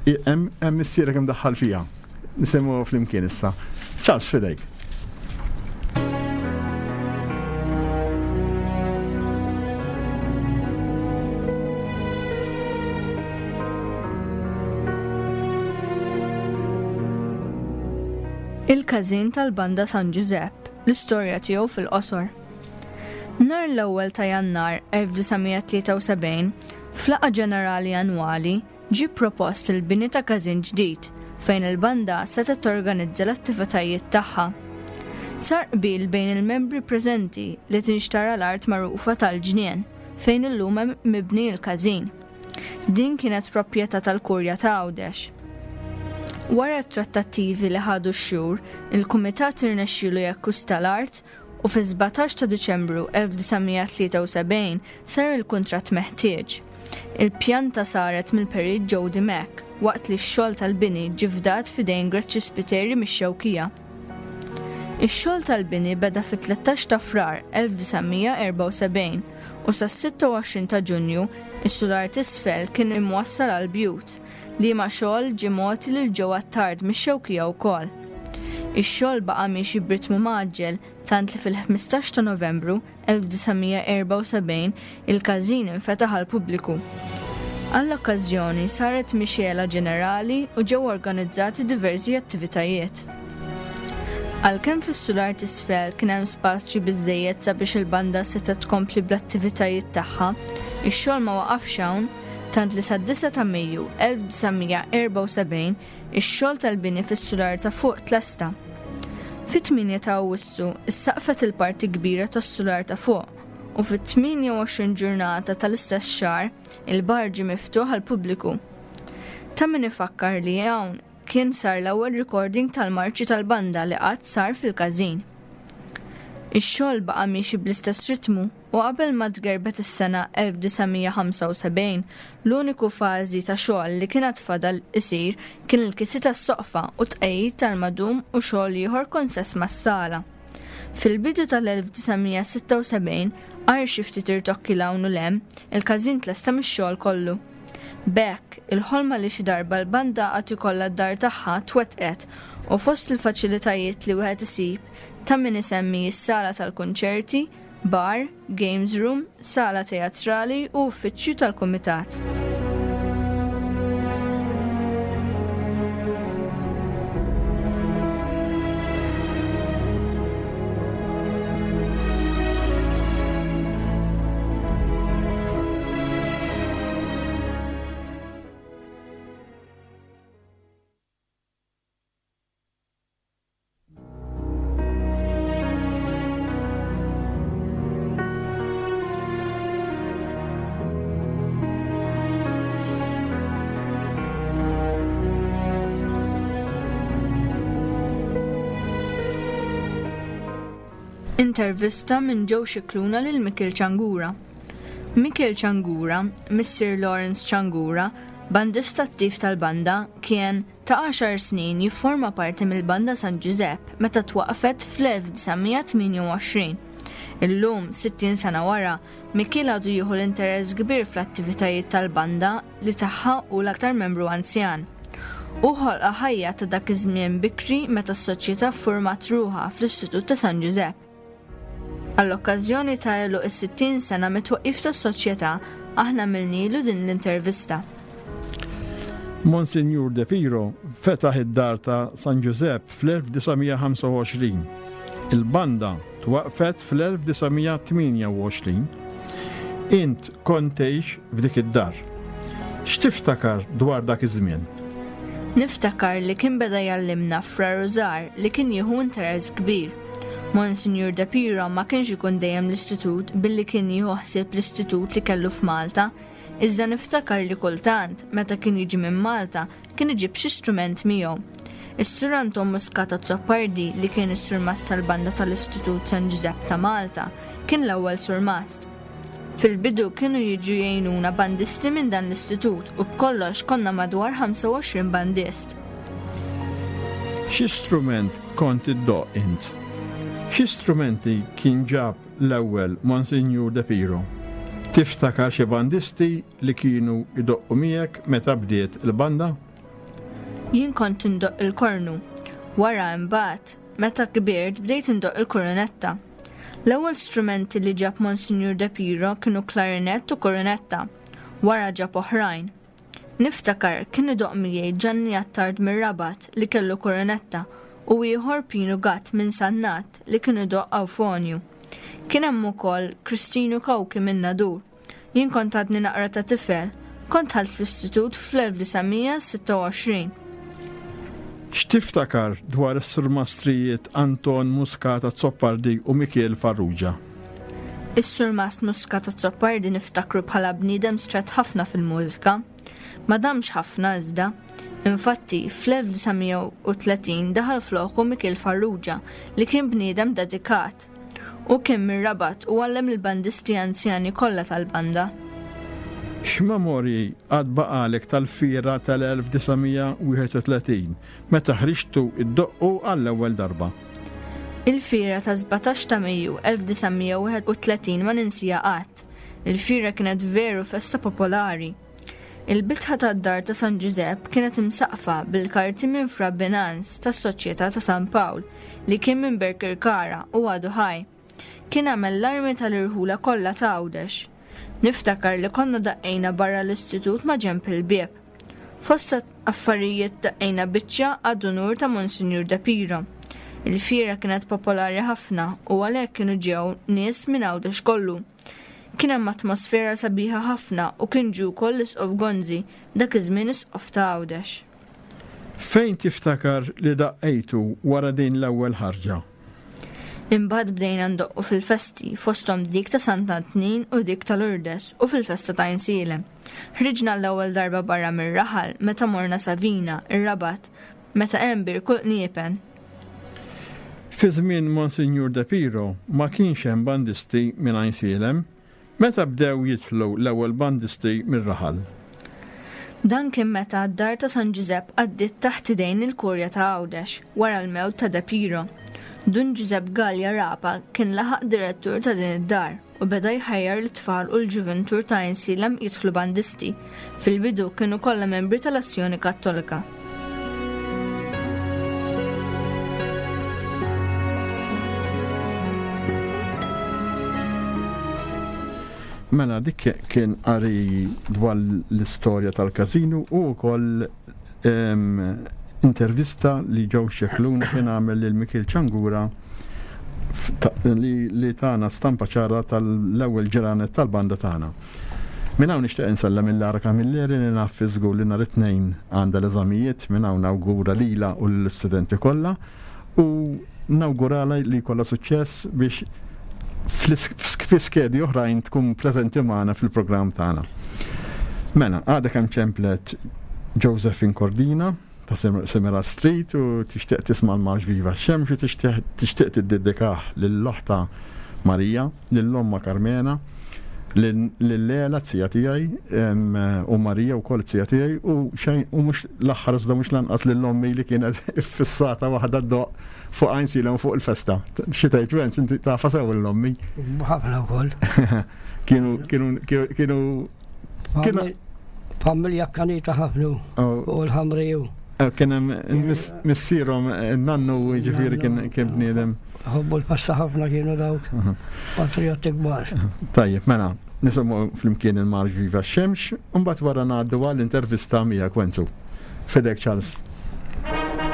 hemm missierek imdaħħal fiha. Nisimgħu flimkien issa. Charles, fidejk. Il-każin tal-banda San Ġużepp, l-istorja tiegħu fil-qosor. Nhar l-ewwel ta' Jannar elf disa' mija tlieta u sebgħin, f'laqgħa ġenerali annwali ġie propost il-bini ta' każin ġdid fejn il-banda setgħet torganizza l-attivitajiet tagħha. Sar qbil bejn il-membri preżenti li tinxtara l-art magħrufa tal-ġnien fejn illum hemm mibni l-każin. Din kienet proprjetà tal-Kurja ta' Għawdex. Wara t-trattattivi li ħadu x-xhur, il-Kumitat irnexxielu jakkwista l-art u fi sbatax ta' Diċembru elf disa' mija tlieta u sebgħin sar il-kuntratt meħtieġ. Il-pjanta saret mill-perit Joe Dimech waqt li x-xogħol tal-bini ġie fdat f'idejn Greċċi Spiteri mix-Xewkija. Ix-xogħol tal-bini beda fit-tlettax ta' Frar elf disa' mija erba' u sebgħin u sas-sitta u għoxrin ta' Ġunju is-sular t'isfel kien imwassal għal bjut li ma xogħol ġie mogħti lil Joe Attard mix-Xewkija wkoll. Ix-xogħol baqa' miexi b'ritmu mgħaġġel tant li fil-ħmistax ta' Novembru elf disa' mija erba' u sebgħin il-każin infetaħ għall-pubbliku. Għall-okkażjoni saret mixela ġenerali u ġew organizzati diversi attivitajiet. Għalkemm fis-sular t'isfel kien hemm spazju biżżejjed sabiex il-banda setgħet tkompli bl-attivitajiet tagħha, ix-xogħol ma waqafx hawn, tant li sad-disa ta' Mejju elf disa' mija erba' u sebgħin ix-xogħol tal-bini fis-sular ta' fuq tlesta. Fit-tmienja ta' Awwissu issaqfet il-parti kbira tas-sular ta' fuq u fit-tmienja u għoxrin ġurnata tal-istess xahar il-bar ġie miftuħ għall-pubbliku. Ta' min ifakkar li hawn kien sar l-ewwel recording tal-marċi tal-banda li qatt sar fil-każin. Ix-xogħol baqa' miexi bl-istess ritmu u qabel ma tgerbet is-sena elf disa' mija ħamsa u sebgħin, l-uniku fażi ta' xogħol li kienet fadal isir kien il-kisi tas-soqfa u tqegħid tal-madum u xogħol ieħor konsess mas-sala. Fil-bidu tal-elf disa' mija sitta u sebgħin, għar xi ftit irtokki 'l hawn u 'l hemm, il-każin tlesta mix-xogħol kollu. B'hekk, il-ħolma li xi darba l-banda għad ikollha d-dar tagħha twettqet u fost il-faċilitajiet li wieħed isib ta' min isemmi s-sala tal-kunċerti, bar, games room, sala teatrali u uffiċċju tal-kumitat. Intervista minn Joe Scicluna lil Mikiel Ciangura. Mikiel Ciangura, Missier Lawrence Ciangura, bandista attiv tal-banda, kien ta' għaxar snin jifforma parti mill-banda San Ġużepp meta twaqfet fl-elf disa' mija tmienja u għoxrin. Illum, sittin sena wara, Mikiel għadu jieħu l-interess kbir fl-attivitajiet tal-banda li tagħha hu l-aktar membru anzjan. U ħolqa ħajja ta' dak iż-żmien bikri meta s-soċjetà ffurmat ruħha fl-Istitut ta' San Ġużepp. Għall-okkażjoni ta' għeluq is-sittin sena mit-twaqqif tas-soċjetà, aħna għamilnilu din l-intervista. Monsignor De Piro fetaħ id-dar ta' San Ġużepp fl-elf disa' mija ħamsa u għoxrin. Il-banda twaqfet fl-elf disa' mija tmienja u għoxrin. Int kont tgħix f'dik id-dar. X'tiftakar dwar dak iż-żmien? Niftakar li kien beda jallimna Fra Rużar li kien jieħu interess kbir. Monsignor De Piro ma kienx ikun dejjem l-istitut billi kien jieħu ħsieb l-istitut li kellu f'Malta, Iżda niftakar li kultant, meta kien jiġi minn Malta, kien iġib xi strument miegħu. Is-Sur Anton Muscat Azzopardi, li kien is-surmast tal-banda tal-Istitut San Ġużepp ta' Malta, kien l-ewwel surmast. Fil-bidu kienu jiġu jgħinuna bandisti minn dan l-istitut u b'kollox konna madwar ħamsa u għoxrin bandist. Xi strument kont iddoqq int? Xi strumenti kien ġab l-ewwel Monsinjur De Piro? Tiftakar xi bandisti li kienu jdoqqu miegħek meta bdiet il-banda? Jien kont indoqq il-kornu. Wara imbagħad, meta kbirt bdejt indoqq il-kornetta. L-ewwel strumenti li ġab Monsinjur De Piro kienu klarinett u kornetta. Wara ġab oħrajn. Niftakar kien idoqq miegħi Ġanni Attard mir-Rabat li kellu kornetta u ieħor Pinu Gatt minn Sannat li kien idoqq awfonju. Kien hemm ukoll Kristinu Kawki minn Nadur. Jien kont għadni naqra ta' tifel, kont dħalt fl-istitut fl-elf disa' mija sitta u għoxrin. X'tiftakar dwar is-surmastrijiet Anton Muscat Azzopardi u Mikiel Farrugia? Is-surmast Muscat Azzopardi niftakru bħala bniedem stret ħafna fil-mużika. Ma damx ħafna iżda. Infatti, fl-elf disa' mija u tletin daħal floku Mikiel Farrugia li kien bniedem dedikat. U kien mir-Rabat u għallem il-bandisti anzjani kollha tal-banda. X'memorji għad baqalek tal-fiera tal-elf disa' mija wieħed u tletin meta ħriġtu id-doqqu għall-ewwel darba? Il-fiera ta' sbatax ta' Mejju elf disa' mija wieħed u tletin ma ninsija qatt. Il-fiera kienet veru festa popolari. Il-bitħa tad-dar ta' San Ġużepp kienet imsaqfa bil-karti minn Fra Binans tas-Soċjetà ta' San Pawl li kien minn Berkirkara u għadu ħaj. Kien għamel l-armi tal-irħula kollha ta' Għawdex. Niftakar li konna daqqejna barra l-istitut ma' ġenb il-bieb. Fost affarijiet daqqejna biċċa għad-unur ta' Monsinjur De Piro. Il-fiera kienet popolari ħafna u għalhekk kienu ġew nies minn Għawdex kollu. Kien hemm atmosfera sabiħa ħafna u kien ġie wkoll l-Isqof Gonzi, dak iż-żmien Isqof ta' Għawdex. Fejn tiftakar li daqqejtu wara din l-ewwel ħarġa? Imbagħad bdejna ndoqqu fil-festi, fosthom dik ta' Sant'Antnin u dik ta' Lourdes u fil-festa ta' Għajnsielem. Ħriġna l-ewwel darba barra mir-raħal meta morna Savina, ir-Rabat, meta hemm bir kull qniepen. Fi żmien Monsinjur De Piro ma kienx hemm bandisti minn Għajnsielem. Meta bdew jidħlu l-ewwel bandisti mir-raħal? Dan kien meta d-dar ta' San Ġużepp għaddiet taħt idejn il-Kurja ta' Għawdex wara l-mewt ta' De Piro. Dun Ġużepp Galea Rapa kien laħaq direttur ta' din id-dar u beda jħajjar l-tfal u l-ġuventur ta' Għajnsielem jidħlu bandisti. Fil-bidu kienu kollha membri tal-Azzjoni Kattolika. Mela dik kien qari dwar l-istorja tal-każinu u wkoll, em, intervista li ġew Xeħluna kien għamel lil Mikiel Ċangura f-, ta-, li, li tana stampa ċara tal-ewwel ġranet tal-banda tagħna. Minn hawn nixtieq insellem lil Lara Camilleri li naf fi żgur li nhar it-tnejn għandha l-eżamijiet, minn hawn nawgura lilha u lill-istudenti kollha u nawguralha li jkollha suċċess biex fl-is-, fi skedi oħrajn tkun preżenti magħna fil-programm tagħna. Mela, għadek hemm ċemplet Josephine Cordina ta' Sem-, Semirar Street u tixtieq tisma' l-Marx Viva x-Xemx u tixtieq, tixtieq tiddedikah lill-oħta Marija, lill-omma Carmena, lil-, lil-Lela t-sija tiegħi, em, u Marija wkoll t-sija tiegħi u xejn u mhux l-aħħar iżda mhux lanqas lill-ommi li kienet iffissata waħda ddoq fuq Għajnsielem fuq il-festa. Xi tgħid Wenz, inti tafha sew l-ommi? Ħafna wkoll. Kienu, kienu, kienu, kienu Famil-, familja kanita ħafna Oh. u l-ħamriju. Eh, kien hemm mis-, missierhom, eh, nannu, jiġifieri kien, kien bniedem. Ħobbu l-festa ħafna kienu dawk. Aha. Patrioti kbar. Tajjeb, mela, nisimgħu flimkien il-Marx Viva x-Xemx, u mbagħad wara ngħaddu għall-intervista miegħek Wenzu. Fidek Charles. Thank you.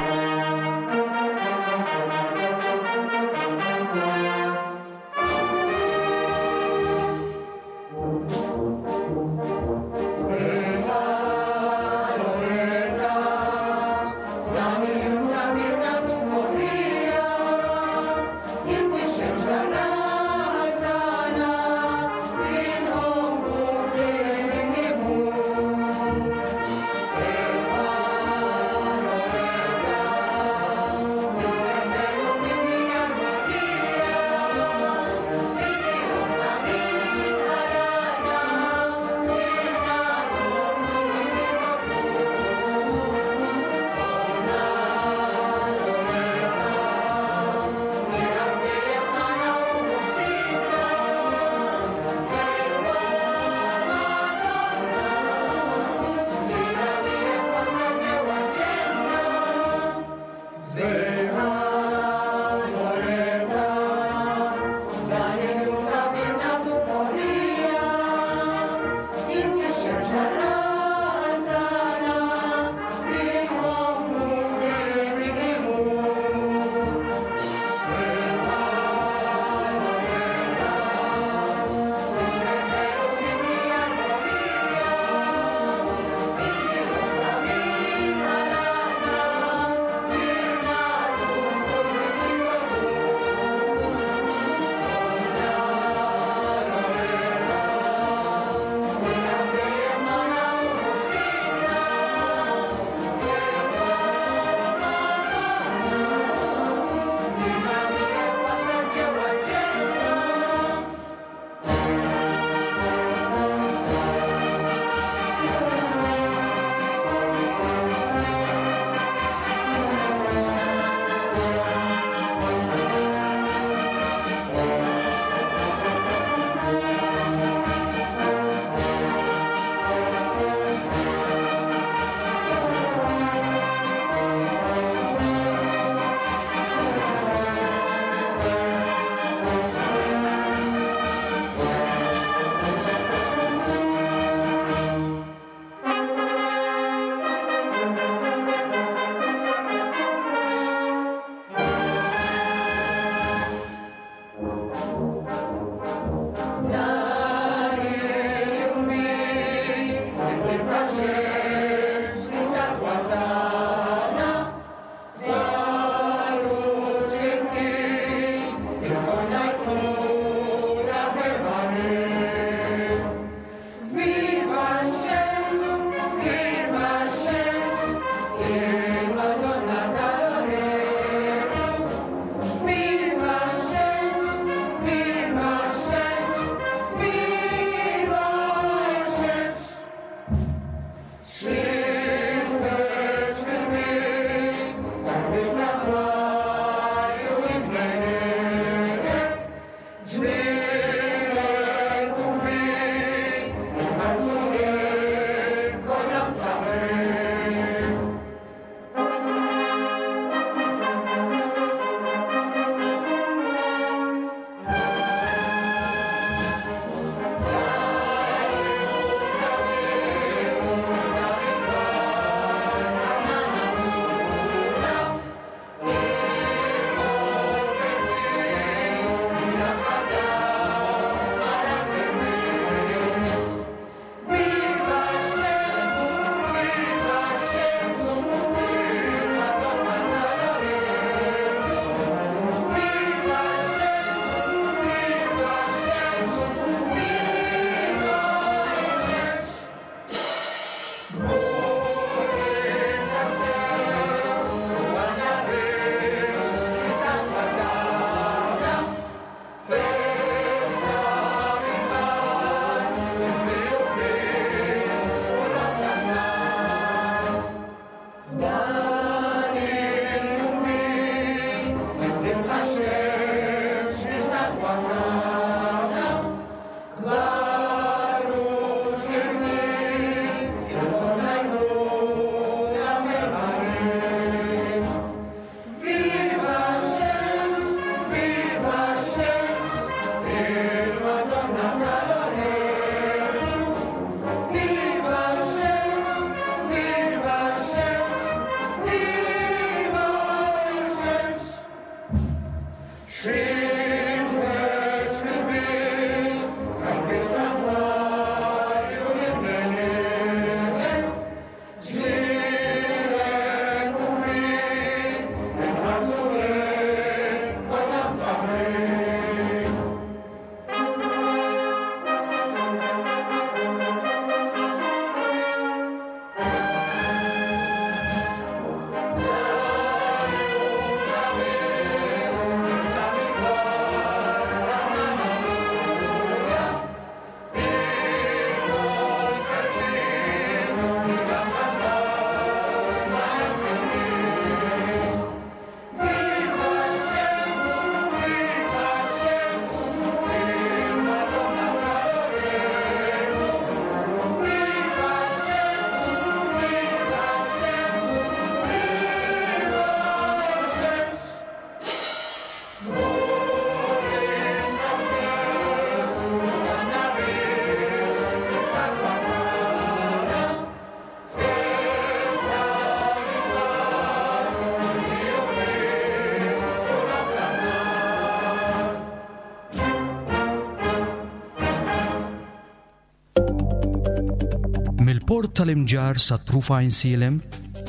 Mill-port tal-Imġarr sa truf Għajnsielem,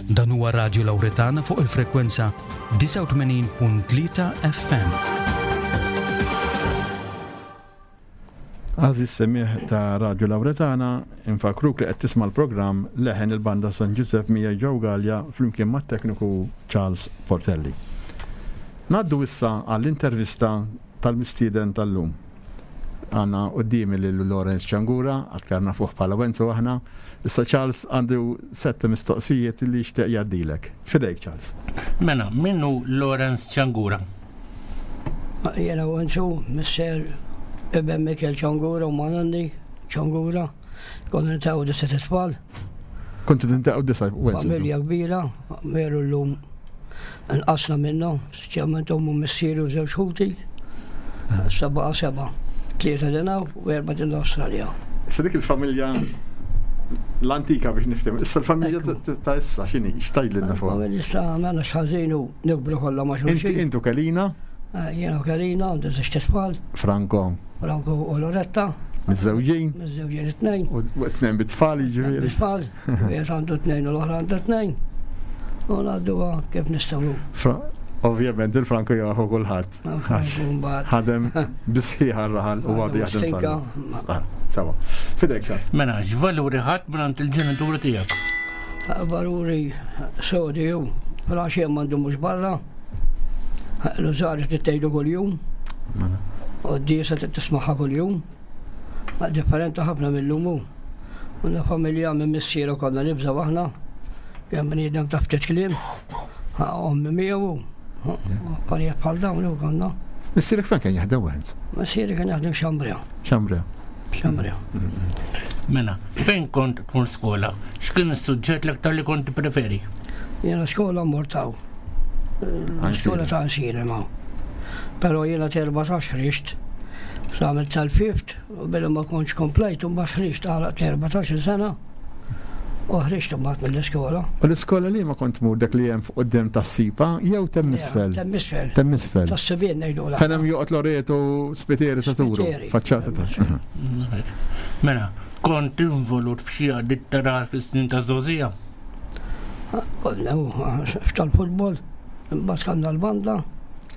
dan huwa Radju Lawretana fuq il-frekwenza disgħa u tmenin punt tlieta F M. Għażiż semmiegħ ta' Radju Lawretana, infakruk li qed tisma' l-programm Leħen il-Banda San Giuseppe miegħi Joe Galea flimkien mat-tekniku Charles Portelli. Ngħaddu issa għall-intervista tal-mistieden tal-lum. Għandna qudiemi lil Lawrence Ciangura, aktar nafuh bħala Wenzu aħna. Issa Charles għandu sette mistoqsijiet li jixtieq jgħaddilek. Fidejk, Charles. Mela, min hu Lawrence Ciangura? Jiena Wenzu, missier iben Mikel Ciangura u Manandi Ciangura. Konna niltaqgħu disat itfal. Kontu tintaqgħu disa', Wenzu? Familja kbira, veru llum nqasna minnu, speċjalment ommu, missieru u żewġ ħuti. Seba' seba', tlieta din hawn u erba' din l-Awstralja. Issa dik il-familja l-antika biex niftehmu. Issa l-familja Ekku. ta' ta' issa x'inhi, x'tgħidilna fuq? Familja issa għamilna x'ħażin u nikbru kollha ma' Inti xulxin. intu Kelina? Eh, Jiena u Kelina, għandi żewġ tfal, Franco. Franco u Loretta. Miżżewġin? Miżżewġin it-tnejn. U t-tnejn bit-tfal jiġifieri. Bit-tfal, wieħed għandu tnejn u l-oħra għandha tnejn. U ngħadduha kif nistgħu. Fra- Ovvjament il-Franco jafu kulħadd. Franco mbagħad. Ħadem bisħiħa r-raħal u għadu jaħdem Stinka. sal. Ah, sawa. Fidejk, Charles. Mela, x'valuri ħadt minn il-ġenituri tiegħek? Valuri sodi ju, fil-għaxija m'għandu mhux barra. L-użari tgħidu kuljum. U d-disa tismaħħa kuljum. Differenti ħafna mill-lum hu. Għandna familja minn missieru konna nibżgħu aħna. Kemm bniedem ta' ftit kliem. Ommi miegħu. Affarijiet bħal dawn u konna. Missierek fejn kien jaħdem, Wenz? Missieri kien jaħdem Xambrea. Xambrea. Xambrea. Mela, fejn kont tmur skola? X'kien is-suġġett l-aktar li kont preferi? Jiena skola mort hawn. Skola ta' Għajnsielem ma. Però jiena t'erbatax ħriġt. Għamilt tal-fifth u billi ma kontx komplejt u mbagħad ħriġt għalaqt l-erbatax sena u ħriġt mbagħad mill-iskola. U l-iskola li ma kont tmur dak li hemm fuq quddiem tas-sipa jew t'hemm isfel? T'hemm isfel. T'hemm isfel. Tas-subien ngħidu la. Fejn hemm joqgħod Loreto Spiteri ta' Turu. Spiteri. Faċċata ta' Mela, kont involut f'xi għaqdiet tar-raħal fis-snin ta' żgħożija? Konna tal-futbol, imbagħad kellna l-banda.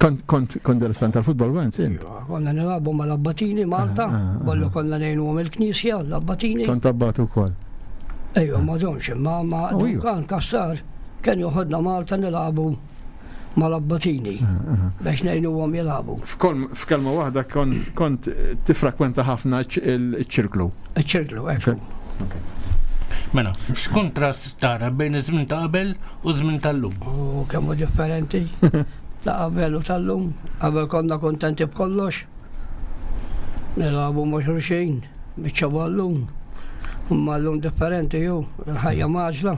Kont kont kont dilettant tal-futbol, Wenz, int? Konna nilagħbu mal-Abbatini Malta, Ah, ah, ah. kollu konna ngħinuhom il-knisja, l-Abbatini. Kont abbatu wkoll. Ejwa, ma domx, ma ma Oh, iva. Duncan Cassar kien joħodna Malta nilagħbu mal-Abbatini biex ngħinuhom jilagħbu. F'kol- F'kelma waħda kont kont tifrekwenta ħafna ċ- il-ċirklu. Iċ-ċirklu, ekku. Mela, x'kontrast tara bejn iż-żmien ta' qabel u żmien tal-lum? U kemm hu differenti ta' qabel u tal-lum. Qabel konna kontenti b'kollox. Nilagħbu ma' xulxin, biċċa ballun. Imma llum differenti ju, il-ħajja mgħaġġla.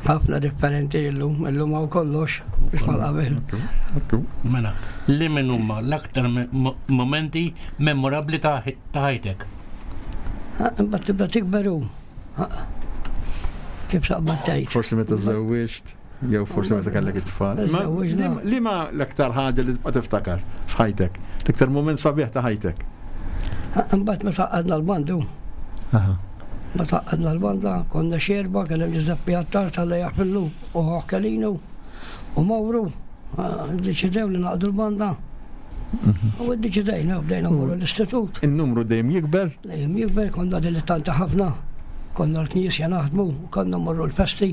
Ħafna differenti illum, illum hawn kollox, biex bħal qabel. Ekku. Mela, li min huma l-aktar me- mo- momenti memorabbli ta' ta' ħajtek? Imbagħad tibda tikberu. Kif saqbad tgħid? Forsi meta żewwiġt, jew forsi meta kellek it-tfal. Ma Żewwiġna. li- Li ma l-aktar ħaġa li tibqa' tiftakar f'ħajtek? L-aktar moment sabiħ ta' ħajtek? Imbagħad meta għadna l-bandu, Aha. meta għadna l-banda, konna xerba, kien hemm Giuseppe Attard tal jaħfillu u Kelinu u Mawru, deċidew li naqdu l-banda. U ddeċidejna, bdejna mmorru l-istitut. Il-numru dejjem jikber. Dejjem jikber, konna dilettanti ħafna, konna l-knisja naħdmu, konna mmorru l-festi.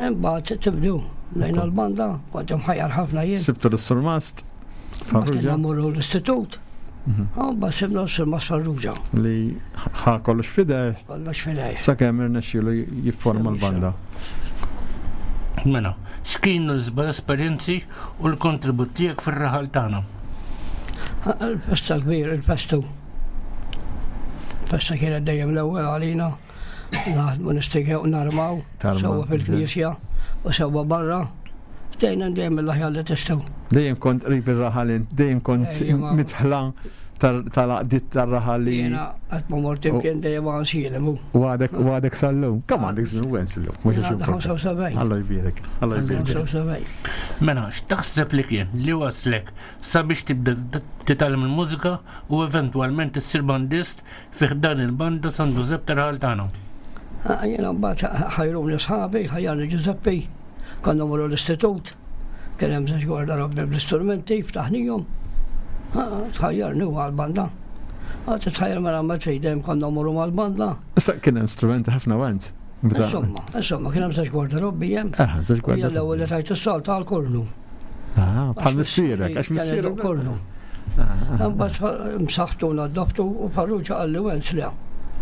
Imbagħad tibdu lejna l-banda, kont imħajjar ħafna jien. Sibtu l-surmast. Mbagħad kellna Farrugia mmorru l-istitut. Mbagħad sibna s-surmast Farrugia, li ħa kollox fideh kollox fidej. sakemm irnexxielu jifforma l-banda. Mela, x'kienu l-isbaħ esperjenzi u l-kontribut tiegħek fir-raħal tagħna? Il-festa kbir, il-festu. Festa kienet dejjem l-ewwel għalina. Naħdmu nistikew narmaw, Tarmaw, sewwa fil-knisja u sewwa barra. Dejna dejjem l-aħjar li tistgħu. Dejjem kont qrib ir-raħal int, dejjem kont Dejjem, mitħla tal-għaqdiet tar-raħal li. Jiena qatt ma mort imkien dejjem għansilem. U għadek u għadek sal-lum. Kemm għandek żmien Wenz illum? Mhux għax Għandha importanti. ħamsa u sebgħin. Alla jbierek, Alla jbierek. ħamsa u sebgħin. Mela, x'taħseb li kien li waslek sabiex tibda titgħallem il-mużika u eventwalment issir bandist fi ħdan il-banda San Ġużepp tar-raħal tagħna? Ah, Jiena mbagħad ħajruni sħabi, ħajjarni Ġużeppi, konna morru l-istitut, kien hemm żewġ gwardarobbi bl-istrumenti, ftaħnihom. Ah, Tħajjarni u għal-banda. Ah, Titħajjar mela ma trid dejjem konna morru mal-banda. Issa kien hemm strumenti ħafna Wenz. Bda- Insomma, insomma, kien hemm żewġ gwardarobbi hemm. Ah, żewġ U jien gwardarobbi. l-ewwel li tajt is-salta għal-kornu. Ah, bħal missierek, għax Kien missierek. idoq kornu. Ah, ah. Mbagħad msaħtu naddaftu u Farrugia qalli Wenz le.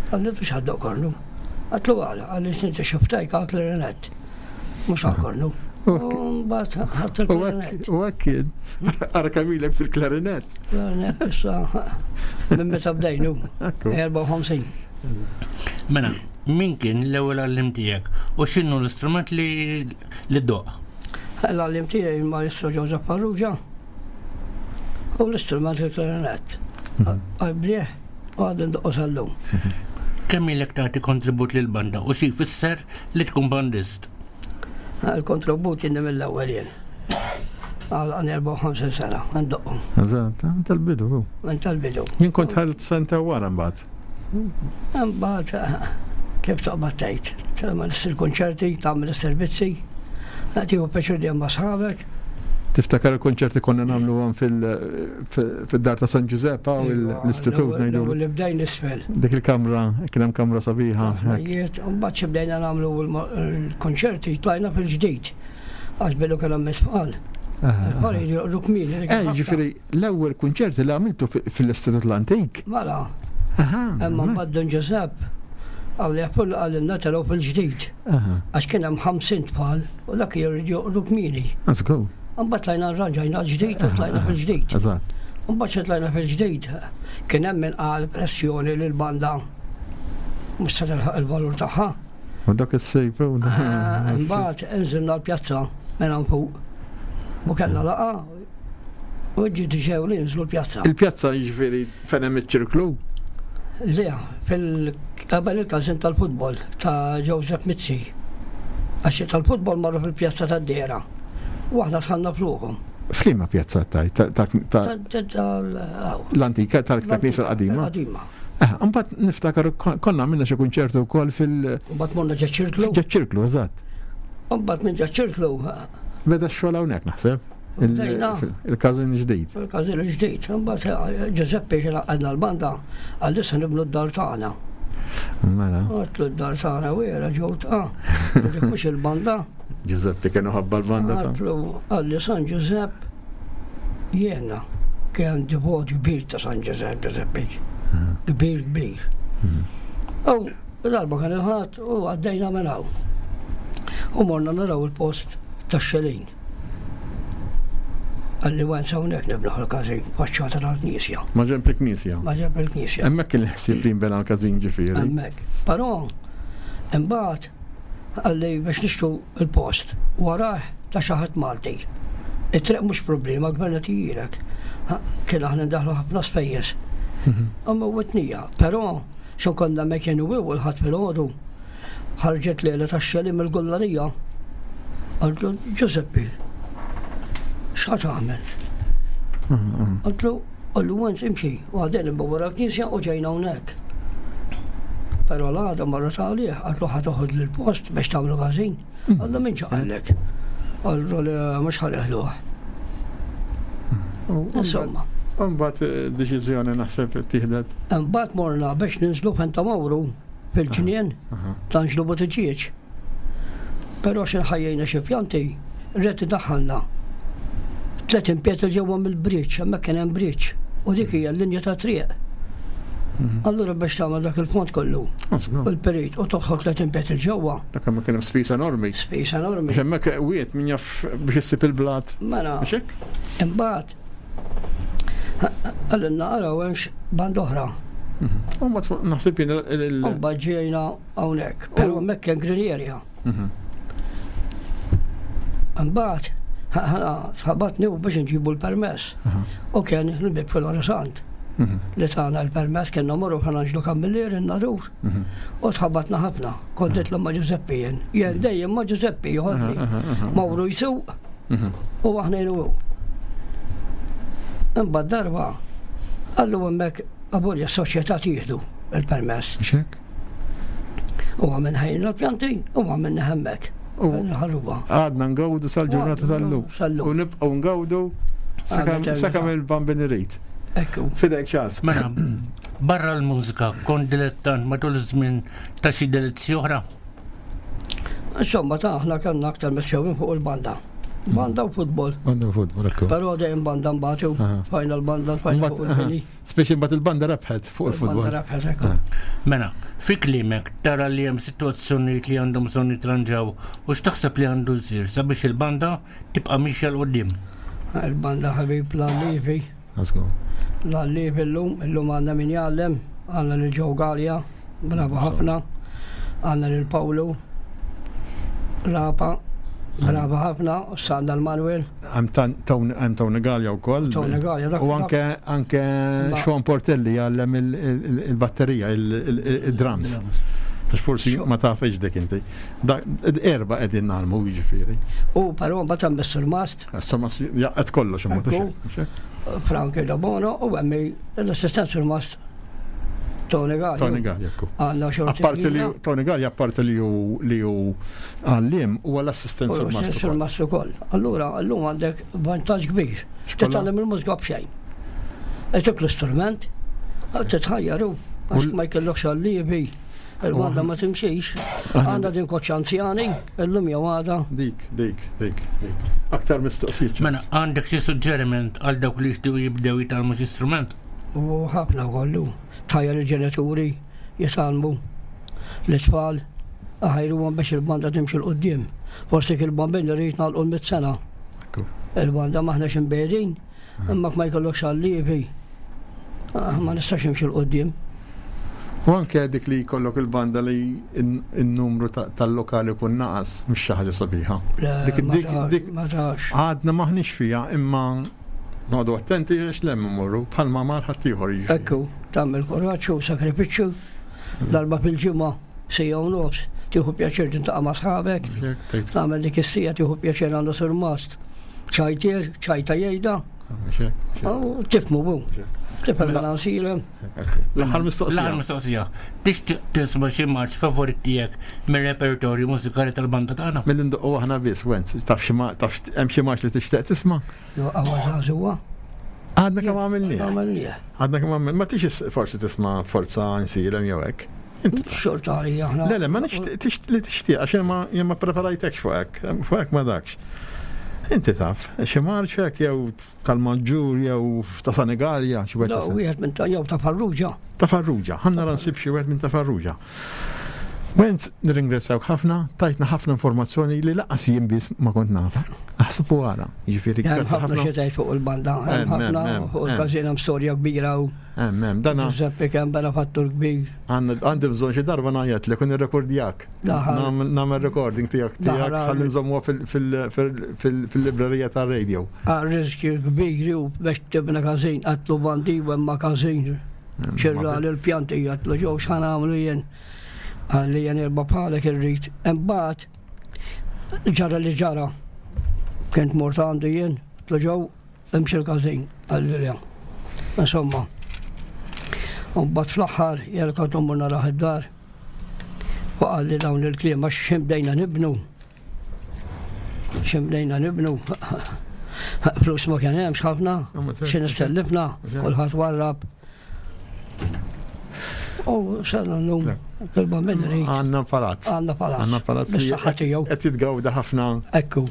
Qalli biex ħaddoq kornu. Għatlu għala, qalli inti xuftajk għal klarinett. Mhux għal kornu. Ok. U mbagħad ħadt U il-klarinett. hekk- u hekk kien. Ara kamilek fil-klarinett. Klarinett issa minn meta bdejnu. Ekku. erbgħa u ħamsin. Mela, min kien l-ewwel għallim tiegħek u x'inhu l-istrument li li ddoq? L-għallim tiegħi il-Maestro Joseph Farrugia u l-istrument il-klarinett. Għabdieħ u għadin doqqu sal-lum. Kemm ilek tagħti kontribut lill-banda u xi jfisser li tkun bandist? Il-kontribut jinni mill-ewwel jien. Għal għan erbgħa u ħamsin sena, għandoqqu, Eżatt, ah, tal-bidu. hu. minn tal-bidu. Jien kont ħalt senta wara mbagħad. Mbagħad kif toqbad tgħid, tagħmel il-konċerti, tagħmel is-servizzi, tieħu pjaċir dejjem ma' sħabek. Tiftakar il-konċerti konna nagħmluhom fil- fil-dar ta' San Giuseppe u l-istitut ngħidu. Li bdejn isfel. Dik il-kamra, kien hemm kamra sabiħa. hekk. Jiet, mbagħad xi bdejna nagħmlu l-konċerti tlajna fil-ġdid. Għax bilu kien hemm isfal. Ah, Il-tfal jridu kmieni. dik Eh, il-ħabta. ġifieri l-ewwel kunċerti li għamiltu fi- fil-Istitut l-Antik. Mela, Aha. imma mbagħad Don Giuseppe għalli għapullu għalli telgħu fil-ġdid. Aha. Għax kien hemm ħamsin tfal u dak jridu joqogħdu kmieni. Let's go. Mbagħad tlajna rranġajna l-ġdid u tlajna fil-ġdid. Eżatt. Mbagħad xi tlajna fil-ġdid kien hemm min qal pressjoni lil banda mhux se tilħaq il-valur tagħha. U dak is-sejf. u dak- Ah, Imbagħad inżilna l-pjazza minn hawn fuq. U kellna laqa u ġiet ġew li nżlu l-pjazza. Il-pjazza jiġifieri fejn hemm iċ-ċirklu. Le, fil qabel il-każin tal-futbol ta' Joseph Mizzi. Għax tal-futbol marru fil-pjazza tad-Dera. U aħna sħanna fluħum. F'liema pjazza taj? Ta- ta- ta- Ta- ta- tal- aw. L-antika tal-knisja l-qadima. Qadima. Eh, Mbagħad niftakar kon- konna għamilna xi kunċertu wkoll fil- Mbagħad morna ġa ċirklu. ġa ċirklu, eżatt. Mbagħad minn ġa ċirklu Beda x-xogħol hawnhekk naħseb. Il- Bdejna. fil- Il-każin ġdid. fil-każin il-ġdid. Mbagħad Giuseppe xi għadna l-banda għal issa nibnu d-dar tagħna. Mela, Għatlu d-dar tagħna wera ġew ta' Dik mhux il-banda. Giuseppe kienu ħabba l-banda ta' Għatlu għalli San Giuseppe jiena kien divot kbir ta' San Giuseppe Giuseppe. Kbir kbir. U darba kien il-ħadd u għaddejna minn hawn. U morna naraw il-post tax-xelin. Għalli għan hawnhekk nibnu l-każin faċċata tal-knisja. Ma ġemp il-knisja. Ma ġeb il-knisja. Hemmhekk kien il-ħsieb li jinbena l-każin ġifieri. Hemmhekk. Però imbagħad għalli biex nixtru il-post warah ta' xi ħadd Malti. It-triq mhux problema, gvern qed jgħidlek. Kien aħna ndaħlu ħafna spejjeż. Imma witnija, però xo konna me kienu u l-ħadd filgħodu ħarġet lejla tax-xeli mill-gullarija. Għaltlu Giuseppe, x'ħa tagħmel? Għaltlu, għallu għan imxi, u għadden wara l-knisja u ġejna hawnhekk. Però l-għada marra għalih, għaltlu ħa toħod l-post biex tagħmlu każin. Għallu min ċaqallek? Għallu li mhux ħaleħluh. Insomma. Mbagħad eh, deċiżjoni naħseb tieħdet. Imbagħad morna biex ninżlu fejn Mawru fil-ġnien ta' Anġlu Buttiġieġ. Però xi ħajjejna xi pjanti, rrid daħħalna. Tlet impiet ġewwa mill-bridge, hemmhekk kien hemm bridge, u dik hija l-linja ta' triq. Allura biex tagħmel dak il-pont kollu, u l-perit, u toħroġ tlet impiet il-ġewwa, Dak hemm kien hemm spiż enormi. spiż enormi. Biex hemmhekk wiet min jaf biex issib il-blat. Mela, Mhux hekk? imbagħad għalilna araw hemmx band oħra. U mbagħad naħseb jien il- il- U mbagħad ġejna hawnhekk, però hemmhekk kien green area. Mhm. Imbagħad ħana sħabatni u biex nġibu l-permess. U kien il-bib fil-Orisant. Li tana l-permess kienna morru Fra Anġlu Camilleri n-Nadur. U tħabatna ħafna. Kont nitla' ma' Ġużeppi jien. Jien dejjem ma' Ġużeppi joħodni. Mawru jsuq u aħna jien u hu. Imbagħad darba qallu hemmhekk abolja s-soċjetà tieħdu il-permess. Mhux hekk? U għamilna ħejjna l-pjanti u għamilna hemmhekk. U Nħalluha. għadna ngawdu sal-ġurnata tal-lum. Sal-lum. U nibqgħu ngawdu sakemm sakemm il-Bambin irid. Ekku. Fidejk Charles. Mela, barra l-mużika, kont dilettant matul iż-żmien ta' xi delizzji oħra? Insomma, ta' aħna kellna aktar mexxewin fuq il-banda. Banda u futbol. Banda u futbol, ekku. Però dejjem banda mbagħad Aha. fajna l-banda fajna fuq il-bini. Speċi mbagħad il-banda rebħet fuq il-futbol. Banda rebħet, ekku. Mela, fi kliemek tara li hemm sitwazzjonijiet li għandhom bżonn jitranġaw u x'taħseb li għandu jsir sabiex il-banda tibqa' mixja 'l quddiem. Il-banda ħabib l-allivi. Let's go. L-allivi llum, illum għandna min jgħallem, għandna lil Joe Gallia, bravo ħafna, għandna lil Pawlu, Rapa, bravo ħafna, għandna l-Manuel. Hemm Tony Gallia wkoll. Tony Gallia, dak- U anke anke Ma- Sean Portelli jgħallem il- il- il-batterija, il-drums. Għax forsi ma tafx dik inti. Dak- Erba qegħdin nagħmlu jiġifieri. U però mbagħad hemm is-Surmast, Issa ma si- jaqgħet kollox imma Ekku. Frank Dabono u hemm l-assistent Surmast Tony Gallia. Tony Gallia, ekku. Għandna xorti. Apparti li Tony Gallia apparti li hu li hu għalliem huwa l-assistent Surmast surmast. ukoll. Surmast ukoll. Allura llum għandek vantaġġ kbir. Xkolla? Titgħallem il-mużika b'xejn. Itik l-istrument, titħajjaru, għax U l- ma jkellokx allievi, il-banda ma timxix. Għandna din koċċ anzjani, illum jew għada. Dik, dik, dik, dik. Aktar mistoqsijiet. Mela, għandek xi suġġeriment għal dawk li jixtiequ jibdew jitgħallmu xi strument? U ħafna kollu. Tħajjar il-ġenituri jitgħallmu l-itfal aħajruhom biex il-banda timxi 'l quddiem. Forsi il-bambin irid nagħlqu l-mitt sena. Ekku. Il-banda m'aħniex imbegħdin, imma ma jkollokx allievi. Ah, Ma nistax imxi 'l quddiem. U anke dik li jkollok il-banda li in-numru tal-lokali kun naqas mhux xi ħaġa sabiħa. Le, Dik- ma dik- tax, dik- ma tax. Għadna maħniex fija imma noqogħdu attenti għax lem immorru bħalma mar ħaddieħor jiġifieri. Ekku, tagħmel kuraġġ u sakrifiċċju. Darba fil-ġimgħa sija u nofs, tieħu pjaċir tintaqa' ma' sħabek, Jekk tgħid, tagħmel dik is-sija tieħu pjaċir għandu surmast. Ċajtier, ċajta jgħidha, mhux hekk, mhux hekk. u tifmu bu. Tifhem Mela. l-ansira. L-aħħar mistoqsija. L-aħħar mistoqsija. Tixtieq tisma' xi marċ favorit tiegħek mir-repertorju mużikali tal-banda tagħna? Mill ndoqqu aħna biss, Wenz, taf xi ma taf hemm xi marċ li tixtieq tisma'? Għawa żagħżugħa. Għadna kemm għamilnieh. Għamilnieh. Għadna kemm għamil, ma tix forsi tisma' forza nsilem jew hekk. Xorta għalija aħna. Le, le, ma nix tix- li tixtieq għax jien ma jien ma preparajtekx fuq hekk, fuq hekk ma dakx. Inti taf, xi marċ hekk jew tal-Maġġur jew ta' Sanigalja, xi wieħed La, ta' San- wieħed minn ta' jew ta' Farrugia. ta' Farrugia. Ħa nara nsib xi wieħed minn ta' Farrugia. Wenz, nirringrazzjawk ħafna, tajtna ħafna informazzjoni li lanqas jien biss ma kont naf. Aħseb u ara, jiġifieri Hemm grazzi ħafna ħafna. xi tgħid fuq il-banda, hemm Hemm, hemm, ħafna hemm, fuq hemm. il-każin hemm storja kbira u Hemm, hemm, dana Giuseppe kemm benefattur kbir. għandna għandi bżonn xi darba ngħajjat li kun irrekordjak. Daħal. Nagħmel nagħmel recording tiegħek tiegħek Daħal. ħalli nżommuha fil- fil- fil- fil- fil-librerija tar-radio. Għal riskju kbir u biex tibna każin għatlu bandi u hemm każin. Xirra l-pjanti għatlu ġew x'ħan għamlu jien. Għalli jien erba' bħalek irrid. Imbagħad ġara li ġara. Kent mort għandu jien, għatlu ġew imxi l-każin għalli le. Insomma. U mbagħad fl-aħħar jien kont immur naraħ id-dar. U qalli dawn il-kliem għax xi bdejna nibnu. Xi bdejna nibnu. Flus ma kien hemmx ħafna, xi nistellifna, kulħadd warrab. U sena llum, kelba minn rrid, Għandna palazz. għandna palazz. Għandna palazz li Bis-saħħa tiegħu. qed jitgawda ħafna. Ekku.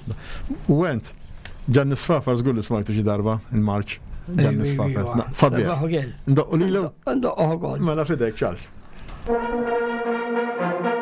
U Wenz, Ġanni Sfafar żgur li smajtu xi darba il-marċ. Ġanni Sfafar. Na, Sabiħ. Ndoqqu lilu? Ndoqqu ukoll. Mela fidejk, Charles. Thank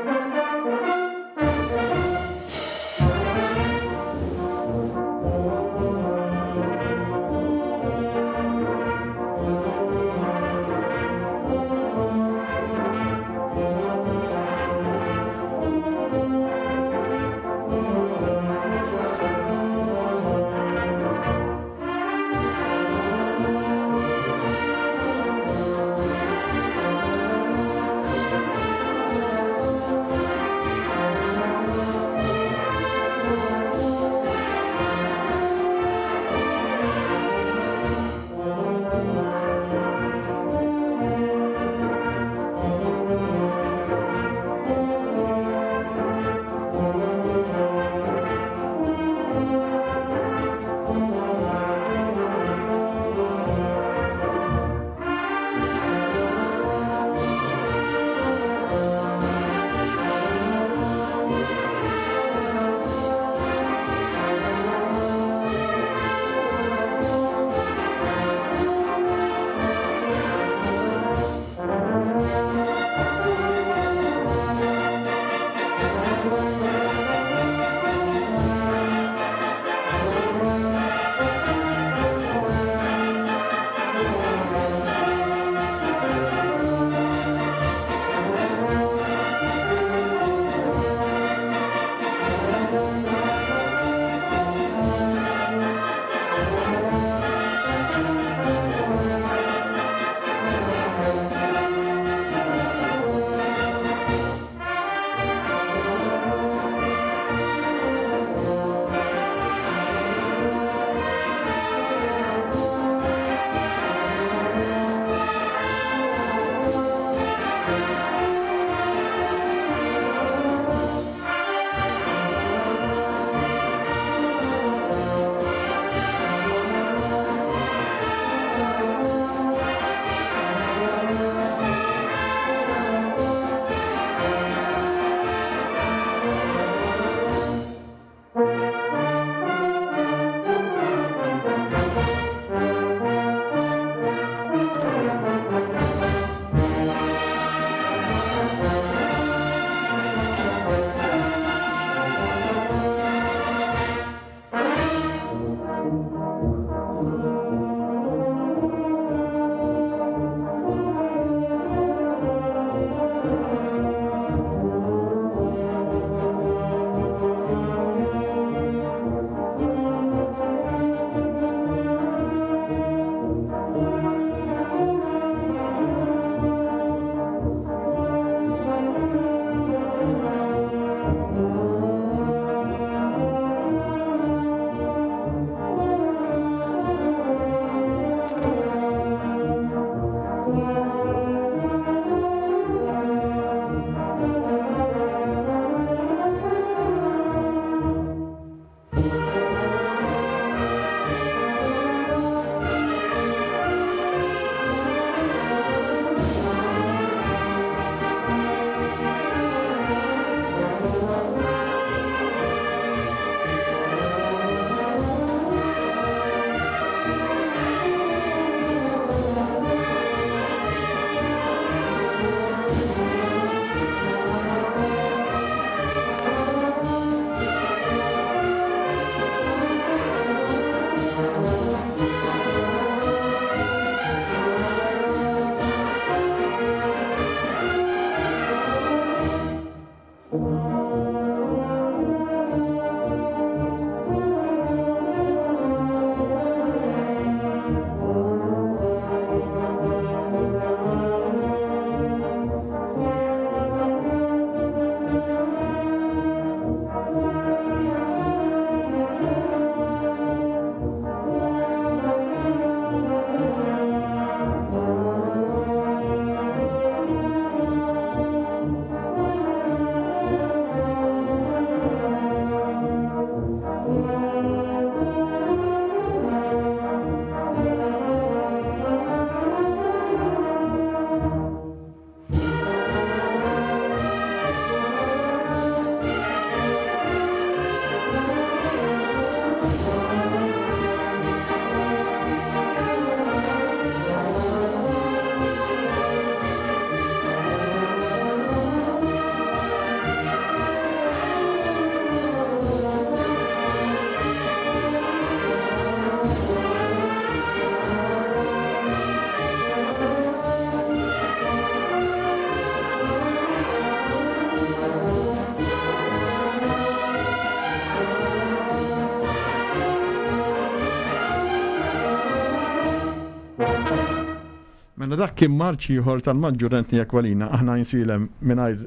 Mela dak kien marċ ieħor tal-Maġġur Anthony Aquilina, aħna Għajnsielem mingħajr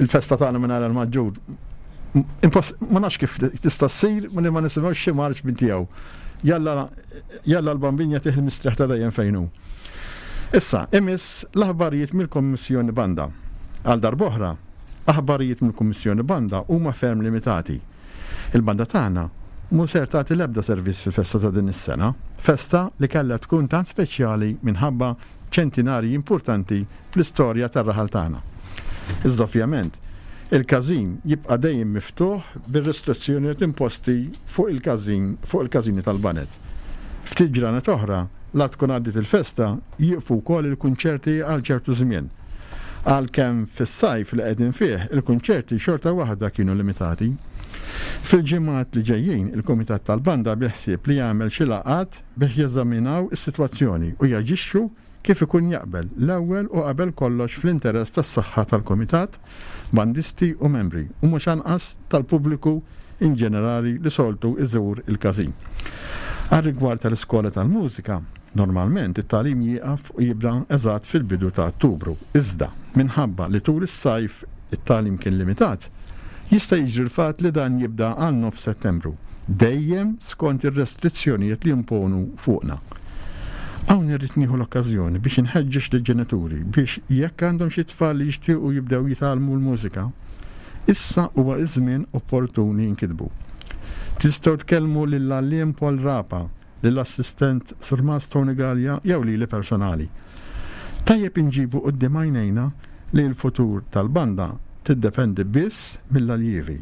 il-festa tagħna mingħajr il-Maġġur. Ma nafx kif tista' ssir li ma nisimgħux xi marċ minn tiegħu. Jalla jalla l-Bambin jagħtih il-mistrieħ ta' dejjem fejn hu. Issa, imiss l-aħbarijiet mill-Kommissjoni Banda. Għal darb'oħra, aħbarijiet mill-Kummissjoni Banda huma ferm limitati. Il-banda tagħna mhu ser tagħti l-ebda servizz fil-festa ta' din is-sena, festa li kellha tkun tant speċjali minħabba ċentinarji importanti fl-istorja tar-raħal tagħna. Iżda ovvjament, il-każin jibqa' dejjem miftuħ bir-restrizzjonijiet imposti fuq il-każin fuq il-każini tal-baned. Ftit ġranet oħra, la tkun għaddiet il-festa, jieqfu wkoll il-kunċerti għal ċertu żmien. Għalkemm fis-sajf li qegħdin fih, il-kunċerti xorta waħda kienu limitati. Fil-ġimgħat li ġejjin, il-Kumitat tal-Banda biħsieb li jagħmel xi laqgħat biex jeżaminaw is-sitwazzjoni u jaġixxu kif ikun jaqbel l-ewwel u qabel kollox fl-interess tas-saħħa tal-Kumitat, bandisti u membri, u mhux anqas tal-pubbliku in ġenerali li soltu iżur il-każin. Għar-rigward tal-iskola tal-mużika, normalment it-tagħlim jieqaf u jibda eżatt fil-bidu ta' Ottubru. Iżda, minħabba li tul is-sajf it-tagħlim kien limitat, jista' jiġri l-fatt li dan jibda għal nofs Settembru, dejjem skont ir-restrizzjonijiet li jimponu fuqna. Hawn irrid nieħu l-okkażjoni biex inħeġġeġ lill-ġenituri biex jekk għandhom xi tfal li jixtiequ jibdew jitgħallmu l-mużika, issa huwa iż-żmien opportun li jinkitbu. Tistgħu tkellmu lill-għalliem Paul Rapa, lill-assistent Surmast Tony Gallia jew lili personali. Tajjeb inġibu quddiem għajnejna li l-futur tal-banda tiddependi biss mill-aljievi.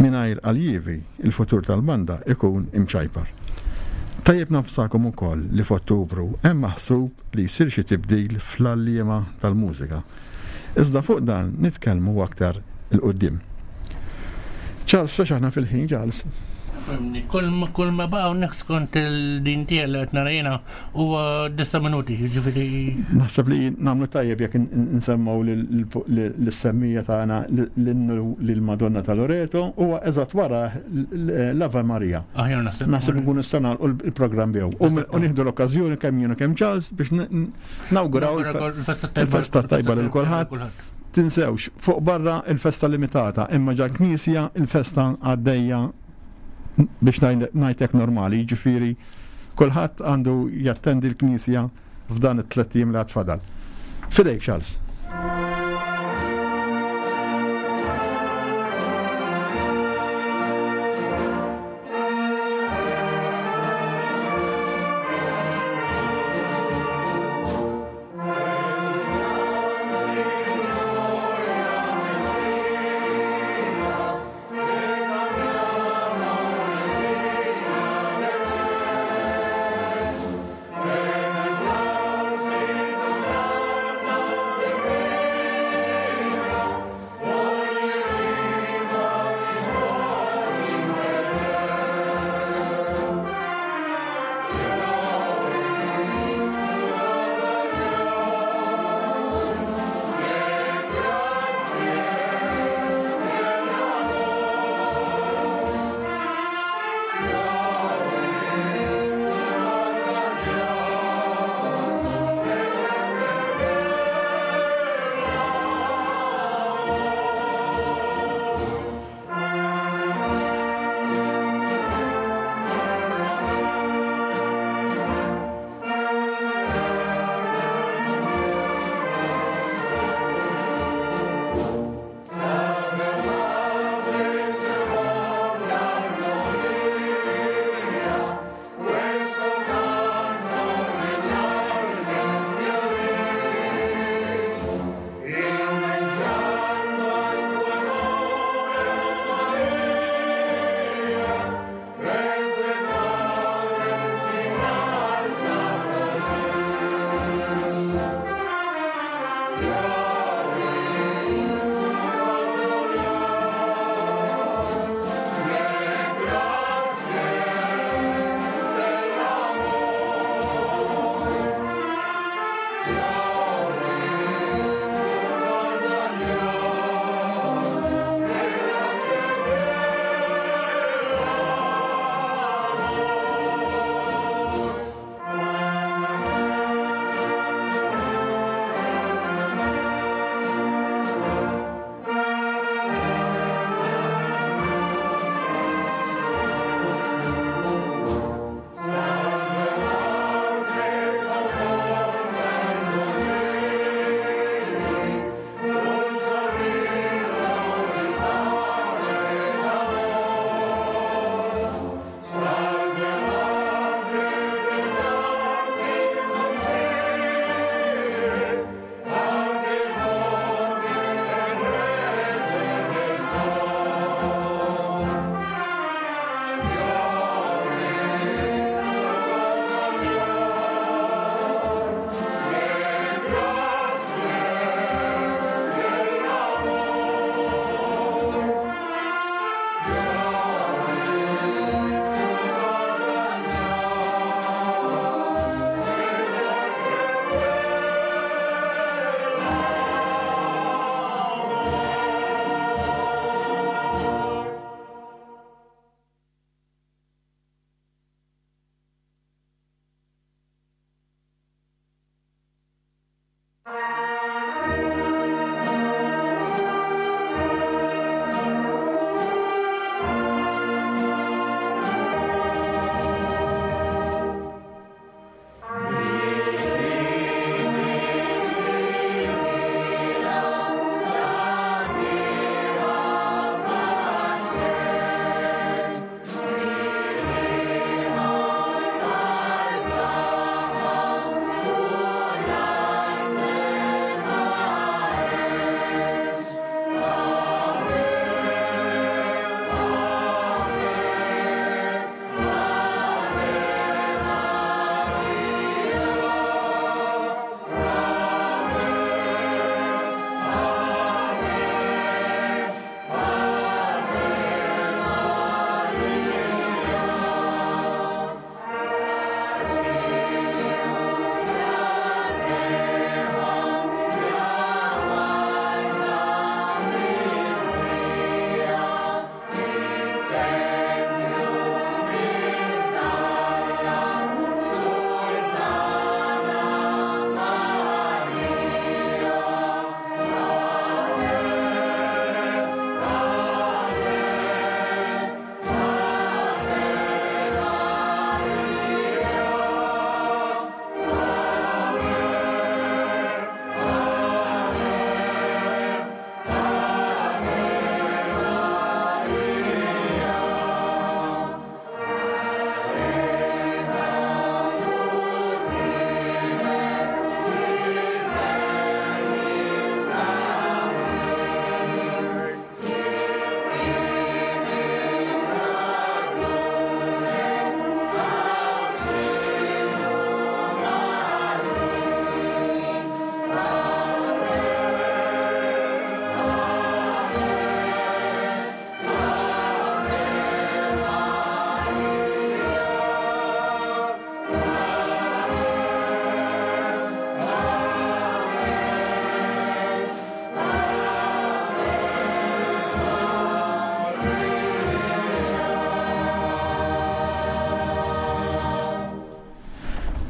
Mingħajr aljievi, il-futur tal-banda ikun imċajpar. Tajjeb nafsakom ukoll li f'Ottubru hemm maħsub li jsir xi tibdil fl-għalliema tal-mużika. Iżda fuq dan nitkellmu aktar il-qudiem. Charles, fex aħna fil-ħin, Charles? Fimni, kull ma kull ma baqa' hawnhekk skont il-din tiegħi li qed nara jiena huwa disa' minuti, jiġifieri Naħseb li nagħmlu tajjeb jekk nsemmaw lis-semmija tagħna l-innu lill-Madonna ta' Loreto huwa eżatt wara l-Ave Maria. Aħjar naħseb. Naħseb nkunu nistgħu nagħlqu l-programm biegħu. U nieħdu l-okkażjoni kemm jien u kemm Charles biex nawguraw il-festa tajba lil kulħadd. Tinsewx, fuq barra il-festa limitata, imma ġa knisja il-festa għaddejja biex ngħidlek normali, jiġifieri kulħadd għandu jattendi l-knisja f'dan it-tliet ijiem li għad fadal. Fidejk, Charles. Thank you.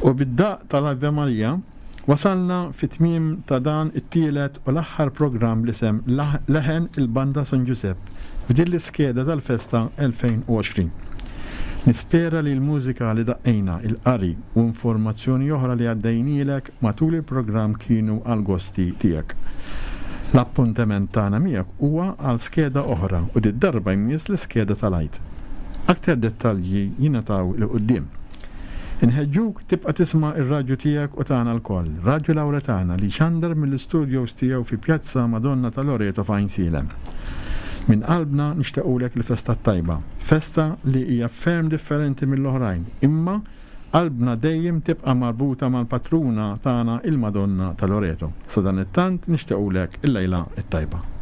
U bid-daq tal-Ave Maria wasalna fit-tmiem ta' dan it-tielet u l-aħħar programm li sem Leħen il-Banda San Ġużepp f'din l-iskeda tal-festa elfejn u għoxrin. Nispera li l-mużika li daqqejna, il-qari u informazzjoni oħra li għaddejnielek matul il-programm kienu għal gosti tiegħek. L-appuntament tagħna miegħek huwa għal skeda oħra u did-darba jmiss l-iskeda tal-Għid. Aktar dettalji jingħataw 'l quddiem. Inħeġġuk tibqa' tisma' ir-radju tiegħek u tagħna lkoll, Radju Lawretana li xandar mill-istudios tiegħu fi Pjazza Madonna ta' Loreto f'Għajnsielem. Minn qalbna nixtiequlek il-festa tajba, festa li hija ferm differenti mill-oħrajn, imma qalbna dejjem tibqa' marbuta mal-patruna tagħna il-Madonna ta' Loreto. Sadanittant nixtiequlek il-lejla t-tajba.